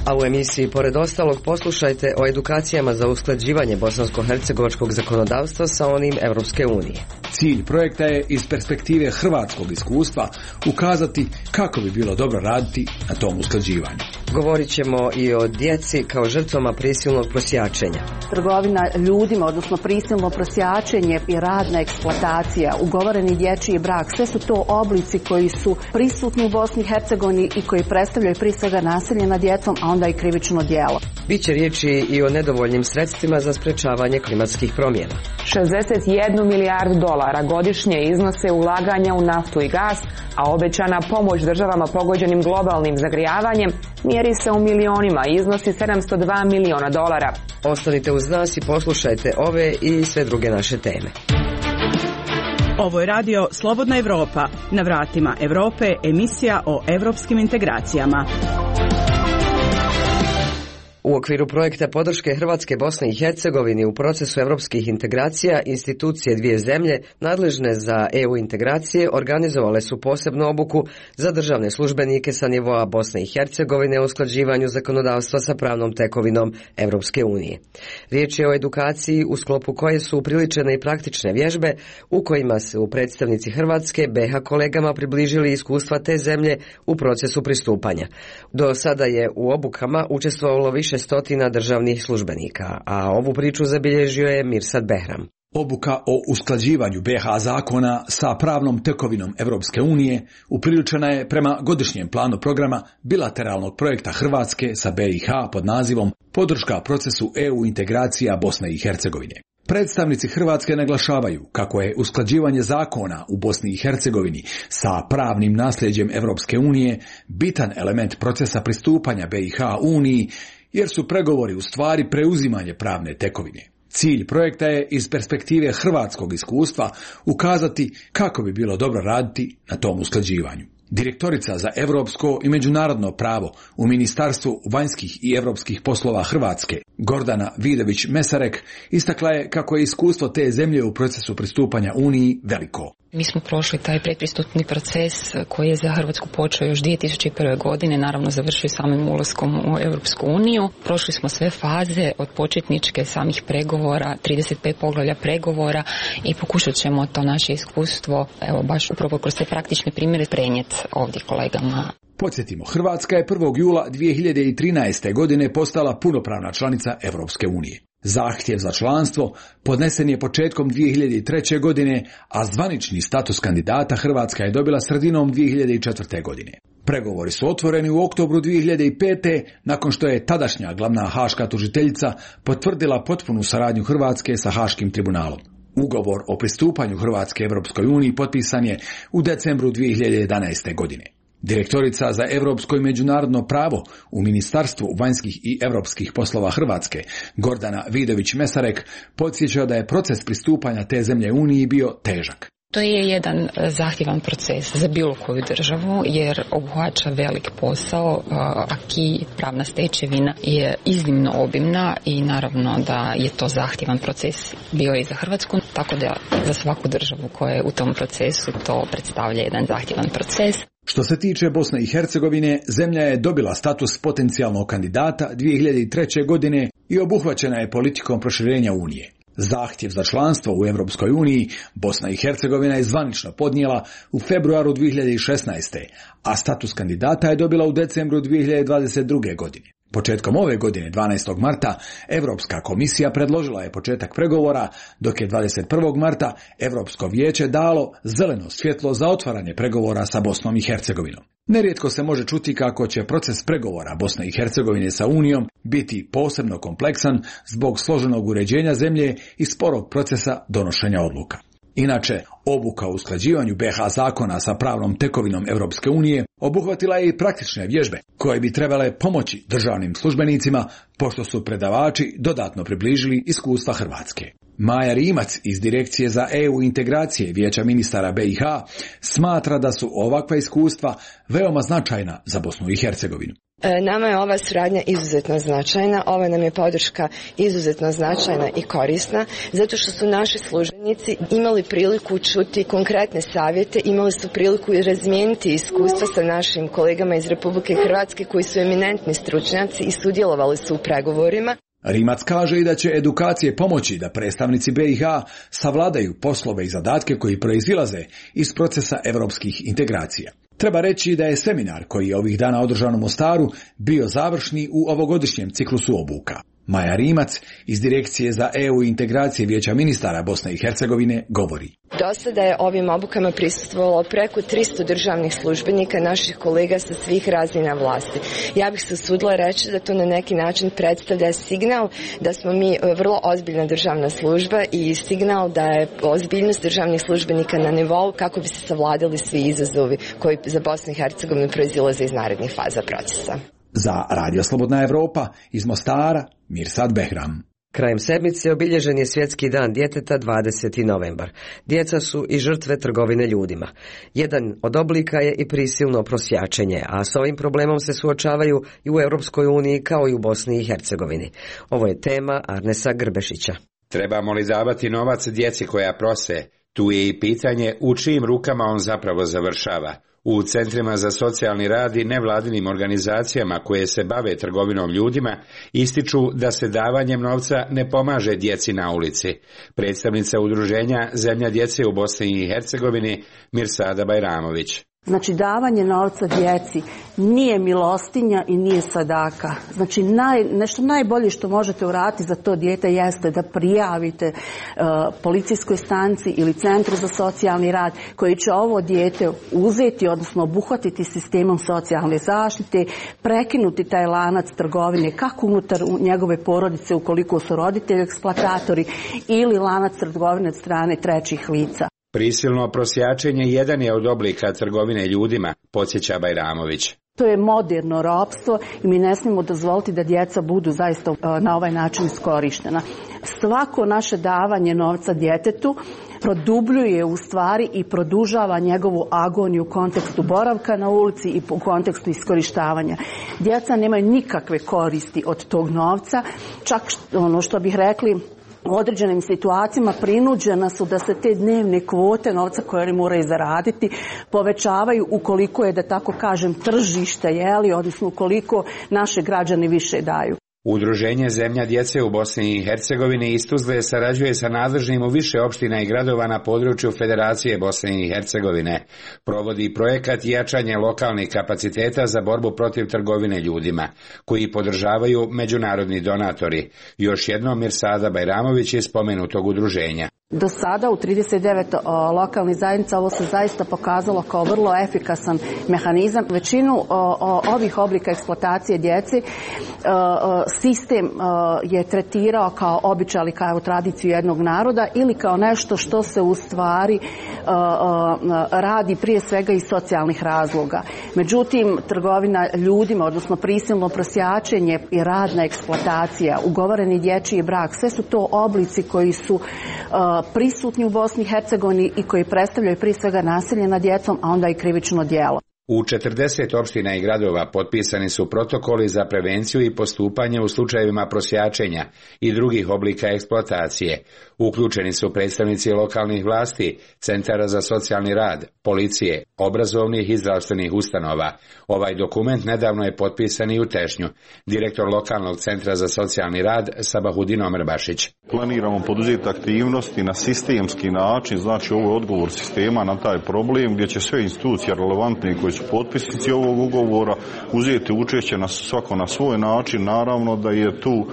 A u emisiji, pored ostalog, poslušajte o edukacijama za usklađivanje bosansko-hercegovačkog zakonodavstva sa onim Evropske unije. Cilj projekta je iz perspektive hrvatskog iskustva ukazati kako bi bilo dobro raditi na tom usklađivanju. Govorit ćemo i o djeci kao žrtvama prisilnog prosjačenja. Trgovina ljudima, odnosno prisilno prosjačenje i radna eksploatacija, ugovoreni dječji brak, sve su to oblici koji su prisutni u Bosni i Hercegovini i koji predstavljaju prije svega nasilje nad djecom, a onda i krivično djelo. Biće riječi i o nedovoljnim sredstvima za sprečavanje klimatskih promjena. šezdeset jednu milijardu dolara godišnje iznose ulaganja u naftu i gas, a obećana pomoć državama pogođenim globalnim zagrijavanjem mjeri se u milionima i iznosi sedamsto dva miliona dolara. Ostanite uz nas i poslušajte ove i sve druge naše teme. Ovo je radio Slobodna Evropa. Na vratima Evrope, emisija o evropskim integracijama. U okviru projekta podrške Hrvatske Bosne i Hercegovine u procesu evropskih integracija, institucije dvije zemlje nadležne za E U integracije organizovale su posebnu obuku za državne službenike sa nivoa Bosne i Hercegovine o usklađivanju zakonodavstva sa pravnom tekovinom Evropske unije. Riječ je o edukaciji u sklopu koje su upriličene i praktične vježbe u kojima su predstavnici Hrvatske B H kolegama približili iskustva te zemlje u procesu pristupanja. Do sada je u obukama učestvovalo više stotina državnih službenika, a ovu priču zabilježio je Mirsad Behram. Obuka o usklađivanju B H zakona sa pravnom tekovinom Evropske unije upriličena je prema godišnjem planu programa bilateralnog projekta Hrvatske sa B i H pod nazivom Podrška procesu E U integracija Bosne i Hercegovine. Predstavnici Hrvatske naglašavaju kako je usklađivanje zakona u Bosni i Hercegovini sa pravnim nasljeđem Evropske unije bitan element procesa pristupanja B i H Uniji, jer su pregovori u stvari preuzimanje pravne tekovine. Cilj projekta je iz perspektive hrvatskog iskustva ukazati kako bi bilo dobro raditi na tom usklađivanju. Direktorica za europsko i međunarodno pravo u Ministarstvu vanjskih i europskih poslova Hrvatske, Gordana Vidović-Mesarek, istakla je kako je iskustvo te zemlje u procesu pristupanja Uniji veliko. Mi smo prošli taj predpristupni proces koji je za Hrvatsku počeo još dvije tisuće prve. godine, naravno završio samim ulaskom u Europsku uniju. Prošli smo sve faze od početničke samih pregovora, trideset pet poglavlja pregovora i pokušat ćemo to naše iskustvo, evo baš upravo kroz te praktične primjere prenijeti ovdje kolegama. Podsjetimo, Hrvatska je prvog jula dvije hiljade trinaeste. godine postala punopravna članica Europske unije. Zahtjev za članstvo podnesen je početkom dvije hiljade treće. godine, a zvanični status kandidata Hrvatska je dobila sredinom dvije hiljade četvrte. godine. Pregovori su otvoreni u oktobru dvije hiljade pete. nakon što je tadašnja glavna haška tužiteljica potvrdila potpunu saradnju Hrvatske sa Haškim tribunalom. Ugovor o pristupanju Hrvatske Evropskoj uniji potpisan je u decembru dvije hiljade jedanaeste. godine. Direktorica za europsko i međunarodno pravo u Ministarstvu vanjskih i europskih poslova Hrvatske, Gordana Vidović-Mesarek, podsjeća da je proces pristupanja te zemlje Uniji bio težak. To je jedan zahtjevan proces za bilo koju državu jer obuhvaća velik posao, aki pravna stečevina je iznimno obimna i naravno da je to zahtjevan proces bio i za Hrvatsku, tako da za svaku državu koja je u tom procesu to predstavlja jedan zahtjevan proces. Što se tiče Bosne i Hercegovine, zemlja je dobila status potencijalnog kandidata dvije hiljade treće. godine i obuhvaćena je politikom proširenja Unije. Zahtjev za članstvo u Europskoj uniji Bosna i Hercegovina je zvanično podnijela u februaru dvije hiljade šesnaeste. a status kandidata je dobila u decembru dvije hiljade dvadeset druge. godine. Početkom ove godine, dvanaestog marta, Europska komisija predložila je početak pregovora, dok je dvadeset prvog marta Europsko vijeće dalo zeleno svjetlo za otvaranje pregovora sa Bosnom i Hercegovinom. Nerijetko se može čuti kako će proces pregovora Bosne i Hercegovine sa Unijom biti posebno kompleksan zbog složenog uređenja zemlje i sporog procesa donošenja odluka. Inače, obuka o usklađivanju be ha zakona sa pravnom tekovinom Europske unije obuhvatila je i praktične vježbe koje bi trebale pomoći državnim službenicima pošto su predavači dodatno približili iskustva Hrvatske. Maja Rimac iz Direkcije za E U integracije Vijeća ministara be i ha smatra da su ovakva iskustva veoma značajna za Bosnu i Hercegovinu. Nama je ova suradnja izuzetno značajna, ova nam je podrška izuzetno značajna i korisna, zato što su naši službenici imali priliku čuti konkretne savjete, imali su priliku i razmijeniti iskustva sa našim kolegama iz Republike Hrvatske koji su eminentni stručnjaci i sudjelovali su u pregovorima. Rimac kaže i da će edukacije pomoći da predstavnici be i ha savladaju poslove i zadatke koji proizilaze iz procesa europskih integracija. Treba reći da je seminar koji je ovih dana održan u Mostaru bio završni u ovogodišnjem ciklusu obuka. Maja Rimac iz Direkcije za E U integracije Vijeća ministara Bosne i Hercegovine govori. Do sada je ovim obukama prisustvovalo preko tristo državnih službenika, naših kolega sa svih razina vlasti. Ja bih se usudila reći da to na neki način predstavlja signal da smo mi vrlo ozbiljna državna služba i signal da je ozbiljnost državnih službenika na nivou kako bi se savladali svi izazovi koji za Bosnu i Hercegovinu proizilaze iz narednih faza procesa. Za Radio Slobodna Evropa iz Mostara, Mirsad Behram. Krajem sedmice obilježen je Svjetski dan djeteta dvadeseti novembar. Djeca su i žrtve trgovine ljudima. Jedan od oblika je i prisilno prosjačenje, a s ovim problemom se suočavaju i u Europskoj uniji kao i u Bosni i Hercegovini. Ovo je tema Arnesa Grbešića. Trebamo li davati novac djeci koja prose? Tu je i pitanje u čijim rukama on zapravo završava. U centrima za socijalni rad i nevladinim organizacijama koje se bave trgovinom ljudima ističu da se davanjem novca ne pomaže djeci na ulici. Predstavnica udruženja Zemlja djece u Bosni i Hercegovini Mirsada Bajramović. Znači, davanje novca djeci nije milostinja i nije sadaka. Znači, naj, nešto najbolje što možete uraditi za to dijete jeste da prijavite uh, policijskoj stanici ili centru za socijalni rad koji će ovo dijete uzeti, odnosno obuhvatiti sistemom socijalne zaštite, prekinuti taj lanac trgovine kako unutar njegove porodice ukoliko su roditelji eksploatatori ili lanac trgovine od strane trećih lica. Prisilno prosjačenje jedan je od oblika trgovine ljudima, podsjeća Bajramović. To je moderno ropstvo i mi ne smijemo dozvoliti da djeca budu zaista na ovaj način iskorištena. Svako naše davanje novca djetetu produbljuje u stvari i produžava njegovu agoniju u kontekstu boravka na ulici i u kontekstu iskorištavanja. Djeca nemaju nikakve koristi od tog novca, čak ono što bih rekli, u određenim situacijama prinuđena su da se te dnevne kvote novca koje oni moraju zaraditi povećavaju ukoliko je, da tako kažem, tržište, jeli, odnosno ukoliko naše građani više daju. Udruženje Zemlja djece u Bosni i Hercegovini iz Tuzle sarađuje sa nadležnim u više opština i gradova na području Federacije Bosne i Hercegovine. Provodi projekat jačanje lokalnih kapaciteta za borbu protiv trgovine ljudima, koji podržavaju međunarodni donatori. Još jednom Mirsada Bajramović je spomenutog udruženja. Do sada u trideset devet o, lokalnih zajednica ovo se zaista pokazalo kao vrlo efikasan mehanizam. Većinu o, o, ovih oblika eksploatacije djeci o, o, sistem o, je tretirao kao običaj ili kao tradiciju jednog naroda ili kao nešto što se u stvari o, o, radi prije svega iz socijalnih razloga. Međutim, trgovina ljudima, odnosno prisilno prosjačenje i radna eksploatacija, ugovoreni dječji brak, sve su to oblici koji su o, prisutni u Bosni i Hercegovini i koji predstavljaju prije svega nasilje nad djecom, a onda i krivično djelo. U četrdeset opština i gradova potpisani su protokoli za prevenciju i postupanje u slučajevima prosjačenja i drugih oblika eksploatacije. Uključeni su predstavnici lokalnih vlasti, centara za socijalni rad, policije, obrazovnih i zdravstvenih ustanova. Ovaj dokument nedavno je potpisan i u Tešnju. Direktor lokalnog centra za socijalni rad Sabahudin Omerbašić. Planiramo poduzeti aktivnosti na sistemski način, znači ovo je odgovor sistema na taj problem gdje će sve institucije relevantne koji su potpisnici ovog ugovora uzeti učešće na svako na svoj način. Naravno da je tu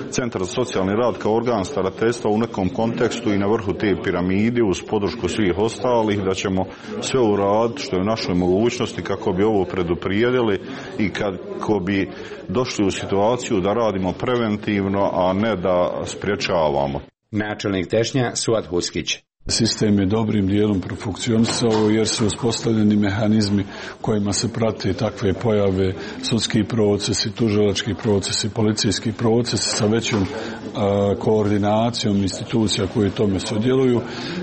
Centar za socijalni rad kao organ starateljstva u nekom kontekstu i na vrhu te piramide uz podršku svih ostalih, da ćemo sve uraditi što je u našoj mogućnosti kako bi ovo preduprijedili i kako bi došli u situaciju da radimo preventivno, a ne da sprječavamo. Načelnik Tešnja Suad Huskić. Sistem je dobrim dijelom profunkcionisao jer su uspostavljeni mehanizmi kojima se prate takve pojave, sudski procesi, tužilački procesi, policijski procesi sa većom a, koordinacijom institucija koje tome sudjeluju.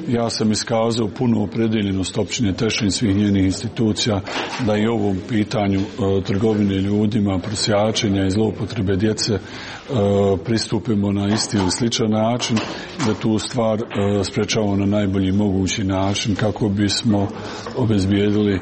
Ja sam iskazao punu opredeljenost općine Tešnje i svih njenih institucija da i ovom pitanju a, trgovine ljudima, prosjačenja i zloupotrebe djece a, pristupimo na isti ili sličan način, da tu stvar a, sprečavamo na najbolji mogući način kako bismo obezbijedili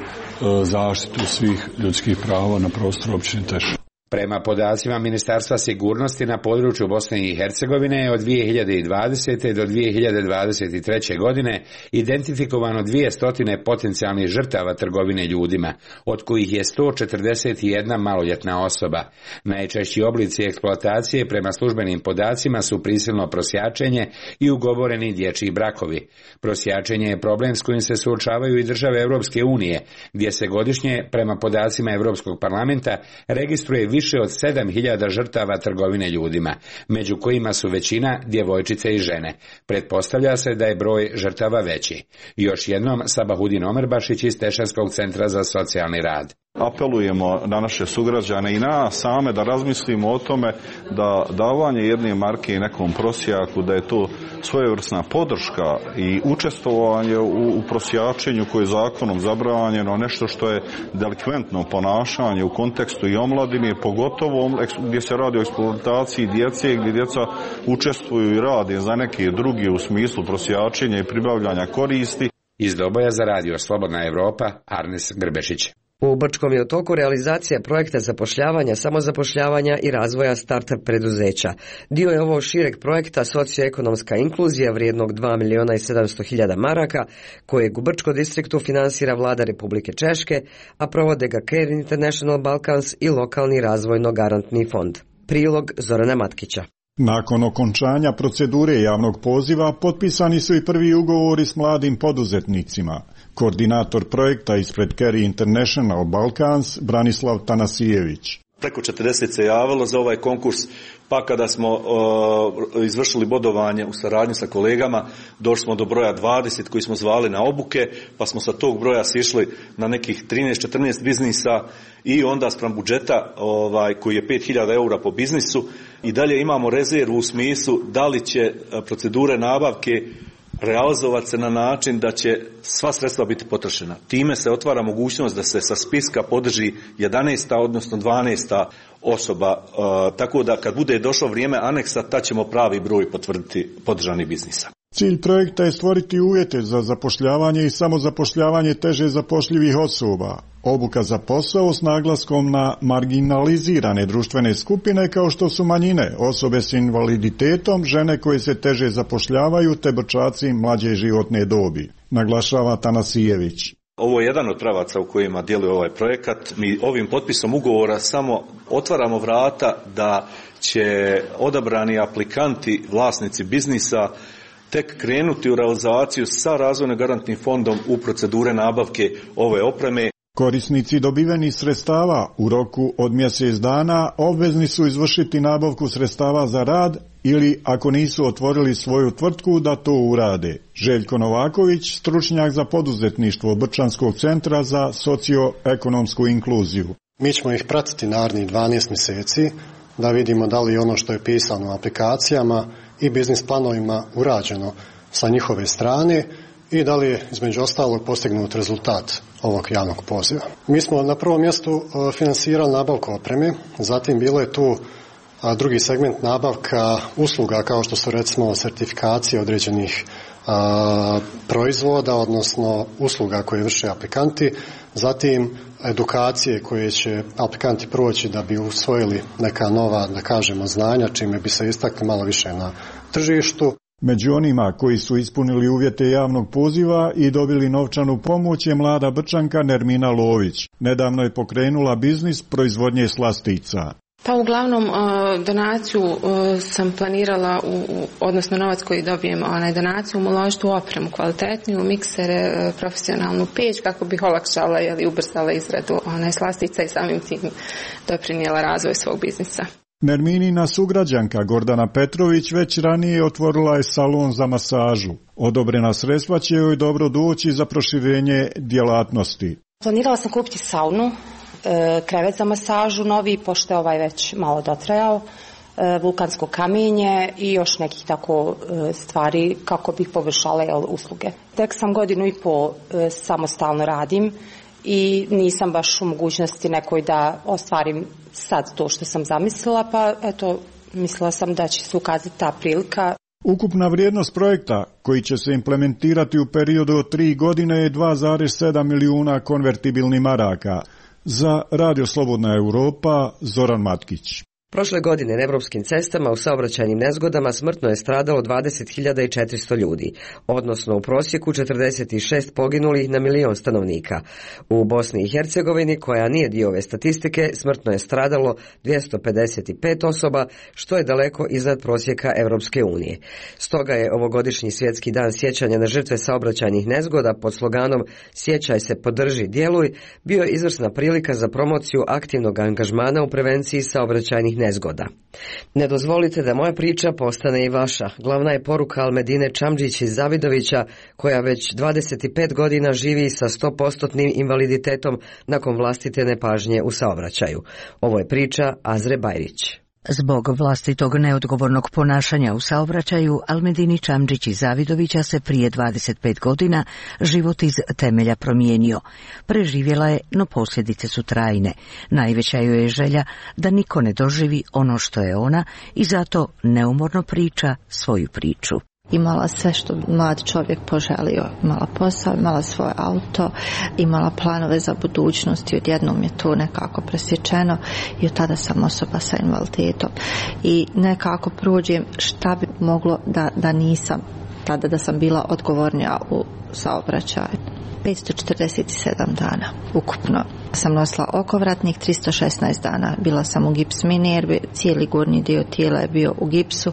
zaštitu svih ljudskih prava na prostoru općine Tešnje. Prema podacima Ministarstva sigurnosti na području Bosne i Hercegovine je od dvije hiljade dvadesete. do dvije hiljade dvadeset treće. godine identifikovano dvjesto potencijalnih žrtava trgovine ljudima, od kojih je sto četrdeset jedna maloljetna osoba. Najčešći oblici eksploatacije prema službenim podacima su prisilno prosjačenje i ugovoreni dječji brakovi. Prosjačenje je problem s kojim se suočavaju i države Europske unije, gdje se godišnje, prema podacima Europskog parlamenta, registruje više Više od sedam hiljada žrtava trgovine ljudima, među kojima su većina djevojčice i žene. Pretpostavlja se da je broj žrtava veći. Još jednom Sabahudin Omerbašić iz Tešanskog centra za socijalni rad. Apelujemo na naše sugrađane i na same da razmislimo o tome da davanje jedne marke nekom prosjaku, da je to svojevrsna podrška i učestvovanje u, u prosjačenju koje je zakonom zabranjeno, nešto što je delikventno ponašanje u kontekstu i omladine, pogotovo gdje se radi o eksploataciji djece, gdje djeca učestvuju i rade za neke druge u smislu prosjačenja i pribavljanja koristi. Iz Doboja za radio Slobodna Evropa, Arnes Grbešić. U Brčkom je u toku realizacija projekta zapošljavanja, samozapošljavanja i razvoja startup preduzeća. Dio je ovo šireg projekta socioekonomska inkluzija vrijednog dva miliona i sedamsto hiljada maraka, kojeg u Brčko distriktu finansira vlada Republike Češke, a provode ga Care International Balkans i lokalni razvojno-garantni fond. Prilog Zorana Matkića. Nakon okončanja procedure javnog poziva potpisani su i prvi ugovori s mladim poduzetnicima. Koordinator projekta ispred Care International Balkans Branislav Tanasijević. Preko četrdeset se javilo za ovaj konkurs, pa kada smo uh, izvršili bodovanje u saradnji sa kolegama, došli smo do broja dvadeset koji smo zvali na obuke, pa smo sa tog broja sišli na nekih trinaest četrnaest biznisa i onda spram budžeta ovaj, koji je pet hiljada eura po biznisu i dalje imamo rezervu u smislu da li će procedure nabavke realizovati se na način da će sva sredstva biti potrošena. Time se otvara mogućnost da se sa spiska podrži jedanaesta odnosno dvanaesta osoba, uh, tako da kad bude došlo vrijeme aneksa, tad ćemo pravi broj potvrditi podržanih biznisa. Cilj projekta je stvoriti uvjete za zapošljavanje i samozapošljavanje teže zapošljivih osoba. Obuka za posao s naglaskom na marginalizirane društvene skupine kao što su manjine, osobe s invaliditetom, žene koje se teže zapošljavaju te brčaci mlađe životne dobi, naglašava Tanasijević. Ovo je jedan od pravaca u kojima djeluje ovaj projekat. Mi ovim potpisom ugovora samo otvaramo vrata da će odabrani aplikanti, vlasnici biznisa, tek krenuti u realizaciju sa razvojno-garantnim fondom u procedure nabavke ove opreme. Korisnici dobivenih sredstava u roku od mjesec dana obvezni su izvršiti nabavku sredstava za rad ili ako nisu otvorili svoju tvrtku da to urade. Željko Novaković, stručnjak za poduzetništvo Brčanskog centra za socioekonomsku inkluziju. Mi ćemo ih pratiti narednih dvanaest mjeseci da vidimo da li ono što je pisano u aplikacijama i biznis planovima urađeno sa njihove strane i da li je između ostalog postignut rezultat ovog javnog poziva. Mi smo na prvom mjestu finansirali nabavku opreme, zatim bilo je tu drugi segment nabavka usluga kao što su recimo sertifikacije određenih a, proizvoda, odnosno usluga koje vrše aplikanti, zatim edukacije koje će aplikanti proći da bi usvojili neka nova, da kažemo, znanja, čime bi se istakli malo više na tržištu. Među onima koji su ispunili uvjete javnog poziva i dobili novčanu pomoć je mlada Brčanka Nermina Lović. Nedavno je pokrenula biznis proizvodnje slastica. Pa uglavnom donaciju sam planirala, u, odnosno novac koji dobijem, onaj donaciju uložiti u opremu kvalitetniju, miksere, profesionalnu peć kako bih olakšala ili ubrzala izradu onaj slastica i samim tim doprinijela razvoj svog biznisa. Nerminina sugrađanka Gordana Petrović već ranije otvorila je salon za masažu. Odobrena sredstva će joj dobro doći za proširenje djelatnosti. Planirala sam kupiti saunu, krevet za masažu novi, pošto je ovaj već malo dotrajao, vulkansko kamenje i još nekih tako stvari kako bih poboljšala usluge. Tek sam godinu i pol samostalno radim i nisam baš u mogućnosti nekoj da ostvarim sad to što sam zamislila, pa eto, mislila sam da će se ukazati ta prilika. Ukupna vrijednost projekta koji će se implementirati u periodu od tri godine je dva zarez sedam milijuna konvertibilnih maraka. Za Radio Slobodna Europa, Zoran Matkić. Prošle godine na evropskim cestama u saobraćajnim nezgodama smrtno je stradalo dvadeset hiljada četiristo ljudi, odnosno u prosjeku četrdeset šest poginulih na milion stanovnika. U Bosni i Hercegovini, koja nije dio ove statistike, smrtno je stradalo dvjesto pedeset pet osoba, što je daleko iznad prosjeka Evropske unije. Stoga je ovogodišnji svjetski dan sjećanja na žrtve saobraćajnih nezgoda pod sloganom Sjećaj se, podrži, djeluj, bio izvrsna prilika za promociju aktivnog angažmana u prevenciji saobraćajnih nezgoda. Ne dozvolite da moja priča postane i vaša. Glavna je poruka Almedine Čamdžić iz Zavidovića, koja već dvadeset pet godina živi sa sto posto invaliditetom nakon vlastite nepažnje u saobraćaju. Ovo je priča Azre Bajrić. Zbog vlastitog neodgovornog ponašanja u saobraćaju, Almedini Čamdžić iz Zavidovića se prije dvadeset pet godina život iz temelja promijenio. Preživjela je, no posljedice su trajne. Najveća joj je želja da niko ne doživi ono što je ona i zato neumorno priča svoju priču. Imala sve što mlad čovjek poželio. Imala posao, imala svoje auto, imala planove za budućnost i odjednom je to nekako presječeno i od tada sam osoba sa invaliditetom. I nekako prođem šta bi moglo da, da nisam, tada da sam bila odgovornija u saobraćaju. petsto četrdeset sedam dana ukupno. Sam nosila okovratnik tristo šesnaest dana. Bila sam u gips mini jer cijeli gornji dio tijela je bio u gipsu.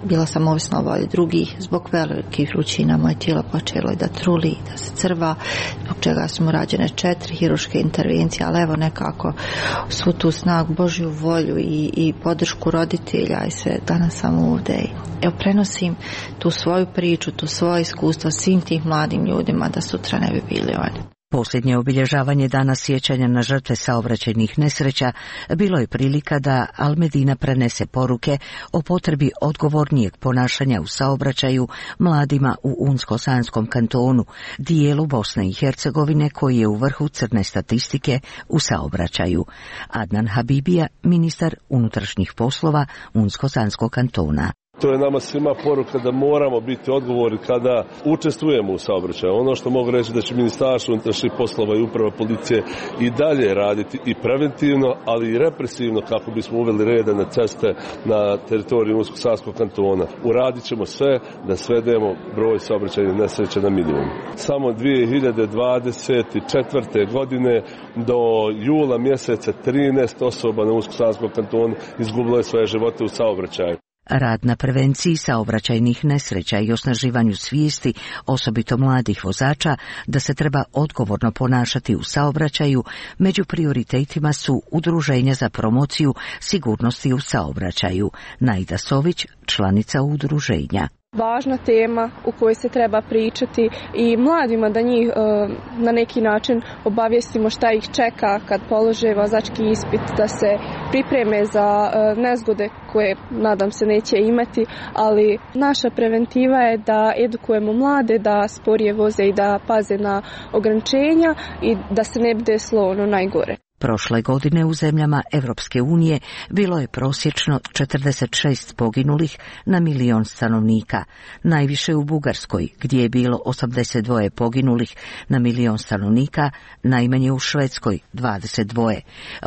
Bila sam ovisna o volji drugih. Zbog velikih vrućina moje tijelo počelo je da truli, da se crva, zbog čega su mu rađene četiri hirurške intervencije, ali evo nekako svu tu snagu, Božju volju i, i podršku roditelja i sve, danas sam ovdje. Evo prenosim tu svoju priču, tu svoje iskustvo svim tih mladim ljudima da sutra ne bi bili oni. Posljednje obilježavanje dana sjećanja na žrtve saobraćajnih nesreća bilo je prilika da Almedina prenese poruke o potrebi odgovornijeg ponašanja u saobraćaju mladima u Unsko-Sanskom kantonu, dijelu Bosne i Hercegovine koji je u vrhu crne statistike u saobraćaju. Adnan Habibija, ministar unutrašnjih poslova Unsko-Sanskog kantona. To je nama svima poruka da moramo biti odgovorni kada učestvujemo u saobraćaju. Ono što mogu reći da će Ministarstvo unutrašnjih poslova i uprava policije i dalje raditi i preventivno, ali i represivno kako bismo uveli reda na ceste na teritoriju Unsko-Sanskog kantona. Uradit ćemo sve da svedemo broj saobraćajnih nesreća na minimum. Samo dvije hiljade dvadeset četvrte. godine do jula mjeseca trinaest osoba na Unsko-Sanskom kantonu izgubilo je svoje živote u saobraćaju. Rad na prevenciji saobraćajnih nesreća i osnaživanju svijesti, osobito mladih vozača, da se treba odgovorno ponašati u saobraćaju, među prioritetima su udruženja za promociju sigurnosti u saobraćaju. Najda Sović, članica udruženja. važna tema u kojoj se treba pričati i mladima da njih na neki način obavijestimo šta ih čeka kad polože vozački ispit, da se pripreme za nezgode koje nadam se neće imati, ali naša preventiva je da edukujemo mlade da sporije voze i da paze na ograničenja i da se ne bi desilo ono najgore. Prošle godine u zemljama Evropske unije bilo je prosječno četrdeset šest poginulih na milion stanovnika, najviše u Bugarskoj gdje je bilo osamdeset dva poginulih na milion stanovnika, najmanje u Švedskoj dvadeset dva.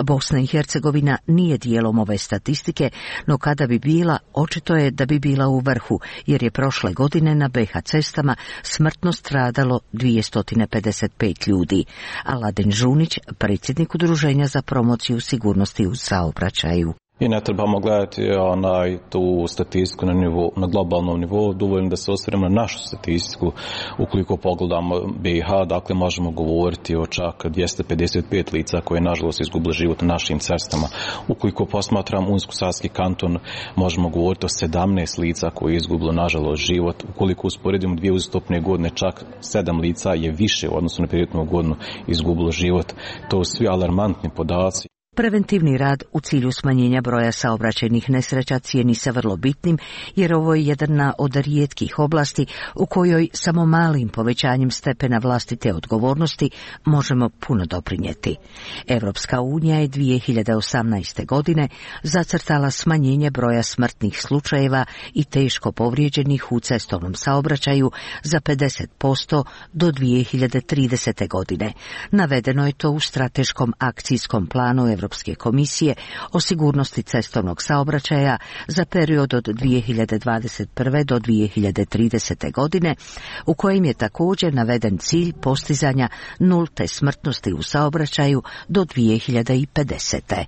Bosna i Hercegovina nije dijelom ove statistike, no kada bi bila, očito je da bi bila u vrhu, jer je prošle godine na be ha cestama smrtno stradalo dvjesto pedeset pet ljudi. Aladin Žunić, predsjednik udruženja za promociju sigurnosti u saobraćaju. I ne trebamo gledati onaj, tu statistiku na, nivou, na globalnom nivou, dovoljno da se osvrnemo na našu statistiku. Ukoliko pogledamo be ha, dakle možemo govoriti o čak dvjesto pedeset pet lica koje nažalost izgubili život na našim cestama. Ukoliko posmatram Unsko-Sanski kanton, možemo govoriti o sedamnaest lica koje je izgubilo nažalost život. Ukoliko usporedimo dvije uzastopne godine, čak sedam lica je više u odnosu na prethodnu godinu izgubilo život. To su svi alarmantni podaci. Preventivni rad u cilju smanjenja broja saobraćajnih nesreća cijeni se vrlo bitnim, jer ovo je jedna od rijetkih oblasti u kojoj samo malim povećanjem stepena vlastite odgovornosti možemo puno doprinijeti. Evropska unija je dvije hiljade osamnaeste. godine zacrtala smanjenje broja smrtnih slučajeva i teško povrijeđenih u cestovnom saobraćaju za pedeset posto do dvije hiljade tridesete. godine. Navedeno je to u strateškom akcijskom planu Evropske komisije o sigurnosti cestovnog saobraćaja za period od dvije hiljade dvadeset prve. do dvije hiljade tridesete. godine, u kojem je također naveden cilj postizanja nulte smrtnosti u saobraćaju do dvije hiljade pedesete.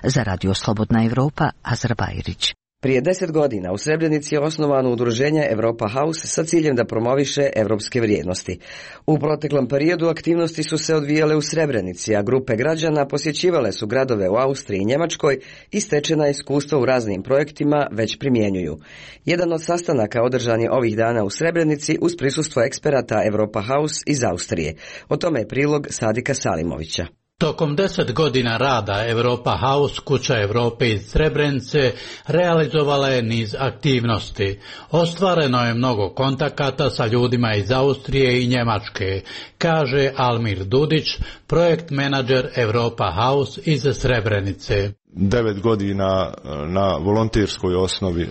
Za Radio Slobodna Evropa, Azra Bajrić. Prije deset godina u Srebrenici je osnovano udruženje Europa House sa ciljem da promoviše evropske vrijednosti. U proteklom periodu aktivnosti su se odvijale u Srebrenici, a grupe građana posjećivale su gradove u Austriji i Njemačkoj i stečena iskustva u raznim projektima već primjenjuju. Jedan od sastanaka održan je ovih dana u Srebrenici uz prisustvo eksperata Europa House iz Austrije. O tome je prilog Sadika Salimovića. Tokom deset godina rada Europa House, kuća Europe iz Srebrenice, realizovala je niz aktivnosti. Ostvareno je mnogo kontakata sa ljudima iz Austrije i Njemačke, kaže Almir Dudić, projekt menadžer Europa House iz Srebrenice. Devet godina na volonterskoj osnovi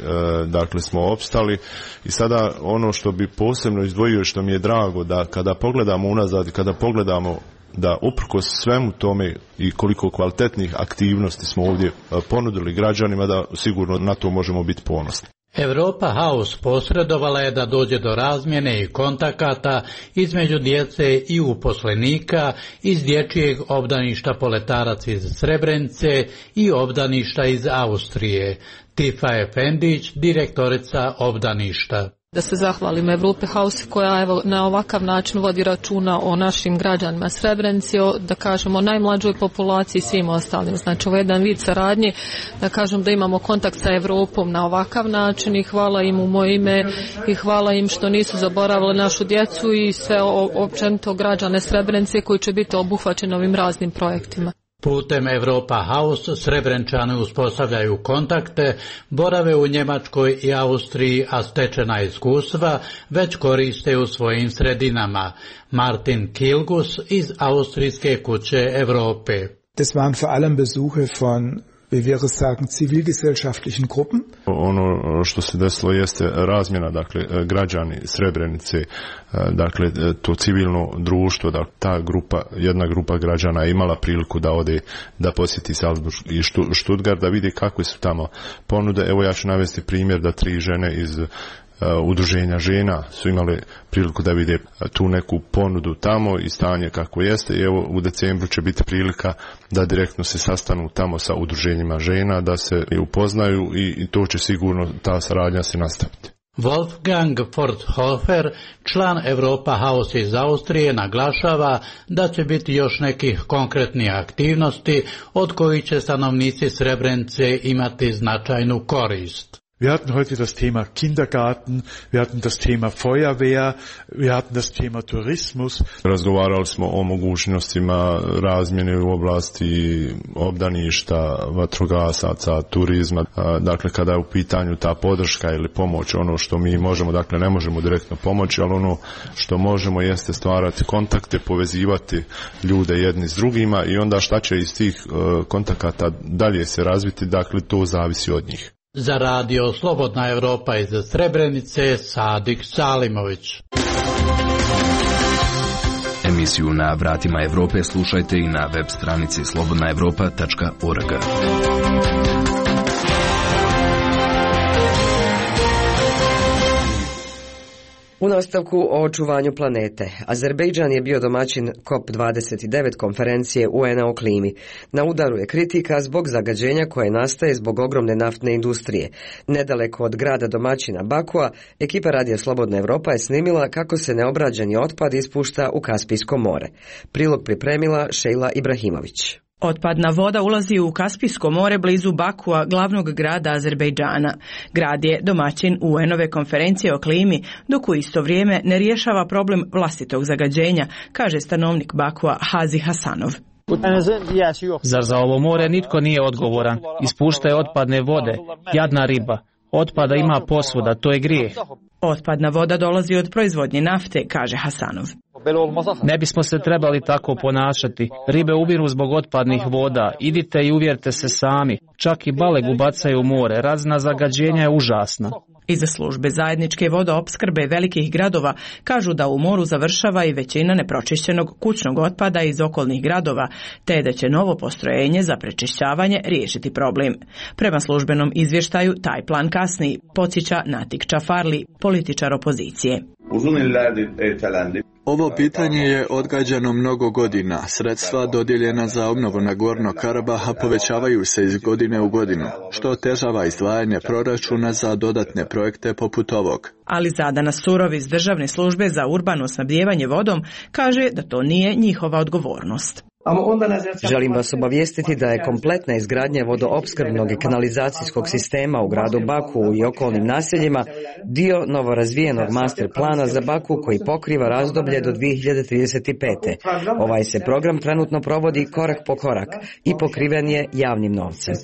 dakle smo opstali i sada ono što bi posebno izdvojio, što mi je drago, da kada pogledamo unazad i kada pogledamo da uprkos svemu tome i koliko kvalitetnih aktivnosti smo ovdje ponudili građanima, da sigurno na to možemo biti ponosni. Europa House posredovala je da dođe do razmjene i kontakata između djece i uposlenika iz dječjeg obdaništa Poletarac iz Srebrenice i obdaništa iz Austrije. Tifa Efendić, direktorica obdaništa. Da se zahvalim Europe House koja evo na ovakav način vodi računa o našim građanima Srebrenici, o, da kažemo, najmlađoj populaciji i svim ostalim. Znači ovo je jedan vid saradnje, da kažem da imamo kontakt sa Europom na ovakav način i hvala im u moje ime i hvala im što nisu zaboravili našu djecu i sve općenito građane Srebrenice koji će biti obuhvaćeni ovim raznim projektima. Putem Europa House Srebrenčani uspostavljaju kontakte, borave u Njemačkoj i Austriji, a stečena iskustva već koriste u svojim sredinama. Martin Kilgus iz Austrijske kuće Europe. Das waren vor allem Besuche von, wie wir es sagen, zivilgesellschaftlichen Gruppen. Ono što se desilo jeste razmjena, dakle, građani Srebrenice, dakle, to civilno društvo, da ta grupa, jedna grupa građana je imala priliku da ode, da posjeti Salzburg i Stuttgart, da vidi kakve su tamo ponude. Evo ja ću navesti primjer da tri žene iz udruženja žena su imali priliku da vide tu neku ponudu tamo i stanje kako jeste i evo u decembru će biti prilika da direktno se sastanu tamo sa udruženjima žena, da se upoznaju i to će sigurno ta saradnja se nastaviti. Wolfgang Forthofer, član Europa House iz Austrije, naglašava da će biti još nekih konkretnih aktivnosti od kojih će stanovnici Srebrenice imati značajnu korist. Wir hatten heute das Thema Kindergarten, wir hatten das Tema Feuerwehr, wir hatten das Tema Tourismus. Razgovarali smo o mogućnostima razmjene u oblasti obdaništa, vatrogasaca, turizma. Dakle, kada je u pitanju ta podrška ili pomoć, ono što mi možemo, dakle ne možemo direktno pomoći, ali ono što možemo jeste stvarati kontakte, povezivati ljude jedni s drugima i onda šta će iz tih kontakata dalje se razviti, dakle to zavisi od njih. Za radio Slobodna Evropa iz Srebrenice, Sadik Salimović. Emisiju Na vratima Evrope slušajte i na web stranici slobodna evropa tačka org. U nastavku o očuvanju planete, Azerbejdžan je bio domaćin COP dvadeset devet konferencije U N-a o klimi. Na udaru je kritika zbog zagađenja koje nastaje zbog ogromne naftne industrije. Nedaleko od grada domaćina Bakua, ekipa Radija Slobodna Evropa je snimila kako se neobrađeni otpad ispušta u Kaspijsko more. Prilog pripremila Šejla Ibrahimović. Otpadna voda ulazi u Kaspijsko more blizu Bakua, glavnog grada Azerbejdžana. Grad je domaćin U N-ove konferencije o klimi, dok u isto vrijeme ne rješava problem vlastitog zagađenja, kaže stanovnik Bakua Hazi Hasanov. Zar za ovo more nitko nije odgovoran? Ispuštaju otpadne vode, jadna riba. Otpada ima posvuda, to je grijeh. Otpadna voda dolazi od proizvodnje nafte, kaže Hasanov. Ne bismo se trebali tako ponašati. Ribe ubiru zbog otpadnih voda. Idite i uvjerite se sami. Čak i balegu bacaju u more. Razina zagađenja je užasna. Iza službe zajedničke vodoopskrbe velikih gradova kažu da u moru završava i većina nepročišćenog kućnog otpada iz okolnih gradova, te da će novo postrojenje za prečišćavanje riješiti problem. Prema službenom izvještaju taj plan kasni, podsjeća Natik Čafarli, političar opozicije. Ovo pitanje je odgađano mnogo godina. Sredstva dodijeljena za obnovu Nagorno Karabaha povećavaju se iz godine u godinu, što otežava izdvajanje proračuna za dodatne projekte poput ovog. Ali Zadana Surov iz Državne službe za urbano snabdijevanje vodom kaže da to nije njihova odgovornost. Želim vas obavijestiti da je kompletna izgradnja vodoopskrbnog i kanalizacijskog sistema u gradu Baku i okolnim naseljima dio novorazvijenog master plana za Baku koji pokriva razdoblje do dvije hiljade trideset pete. Ovaj se program trenutno provodi korak po korak i pokriven je javnim novcem.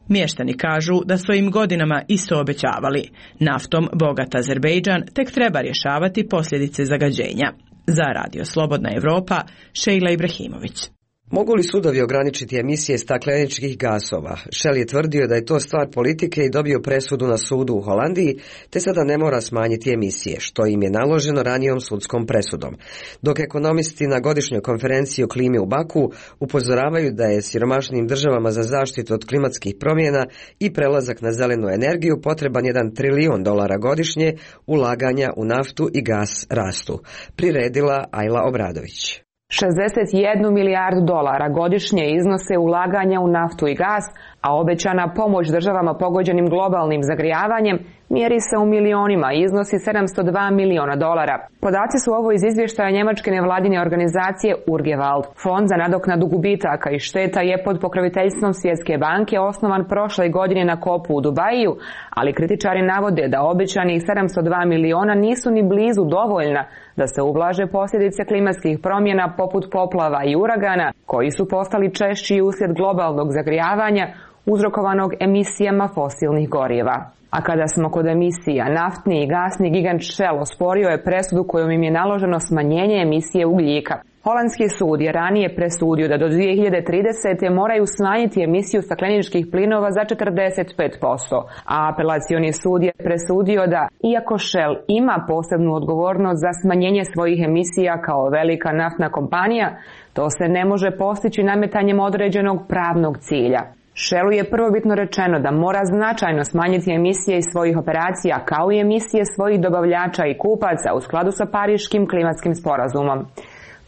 Mještani kažu da su im godinama isto obećavali. Naftom bogat Azerbejdžan tek treba rješavati posljedice zagađenja. Za Radio Slobodna Evropa, Šejla Ibrahimović. Mogu li sudovi ograničiti emisije stakleničkih gasova? Shell je tvrdio da je to stvar politike i dobio presudu na sudu u Holandiji, te sada ne mora smanjiti emisije, što im je naloženo ranijom sudskom presudom. Dok ekonomisti na godišnjoj konferenciji o klimi u Baku upozoravaju da je siromašnim državama za zaštitu od klimatskih promjena i prelazak na zelenu energiju potreban jedan trilijon dolara godišnje, ulaganja u naftu i gas rastu. Priredila Ajla Obradović. šezdeset jednu milijardu dolara godišnje iznose ulaganja u naftu i gas, a obećana pomoć državama pogođenim globalnim zagrijavanjem mjeri se u milionima i iznosi sedamsto dva miliona dolara. Podaci su ovo iz izvještaja njemačke nevladine organizacije Urgewald. Fond za nadoknadu gubitaka i šteta je pod pokroviteljstvom Svjetske banke osnovan prošle godine na kopu u Dubaju, ali kritičari navode da obećanih sedamsto dva miliona nisu ni blizu dovoljna da se ublaže posljedice klimatskih promjena poput poplava i uragana, koji su postali češći uslijed globalnog zagrijavanja uzrokovanog emisijama fosilnih goriva. A kada smo kod emisija, naftni i gasni gigant Shell osporio je presudu kojom im je naloženo smanjenje emisije ugljika. Holandski sud je ranije presudio da do dvije hiljade tridesete moraju smanjiti emisiju stakleničkih plinova za četrdeset pet posto, a apelacioni sud je presudio da, iako Shell ima posebnu odgovornost za smanjenje svojih emisija kao velika naftna kompanija, to se ne može postići nametanjem određenog pravnog cilja. Shellu je prvobitno rečeno da mora značajno smanjiti emisije iz svojih operacija kao i emisije svojih dobavljača i kupaca u skladu sa Pariškim klimatskim sporazumom.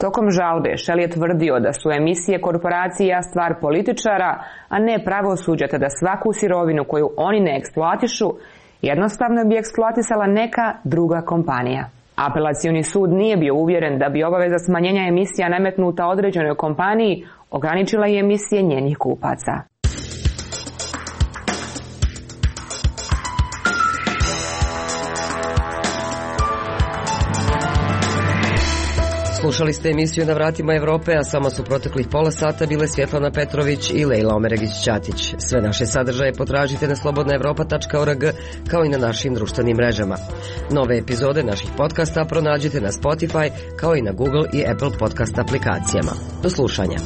Tokom žalbe Shell je tvrdio da su emisije korporacija stvar političara, a ne pravosuđa, te da svaku sirovinu koju oni ne eksploatišu jednostavno bi eksploatisala neka druga kompanija. Apelacioni sud nije bio uvjeren da bi obaveza smanjenja emisija nametnuta određenoj kompaniji ograničila i emisije njenih kupaca. Slušali ste emisiju Na vratima Evrope, a samo su proteklih pola sata bile Svjetlana Petrović i Lejla Omeregić-Ćatić. Sve naše sadržaje potražite na slobodna evropa tačka org kao i na našim društvenim mrežama. Nove epizode naših podcasta pronađite na Spotify kao i na Google i Apple podcast aplikacijama. Do slušanja.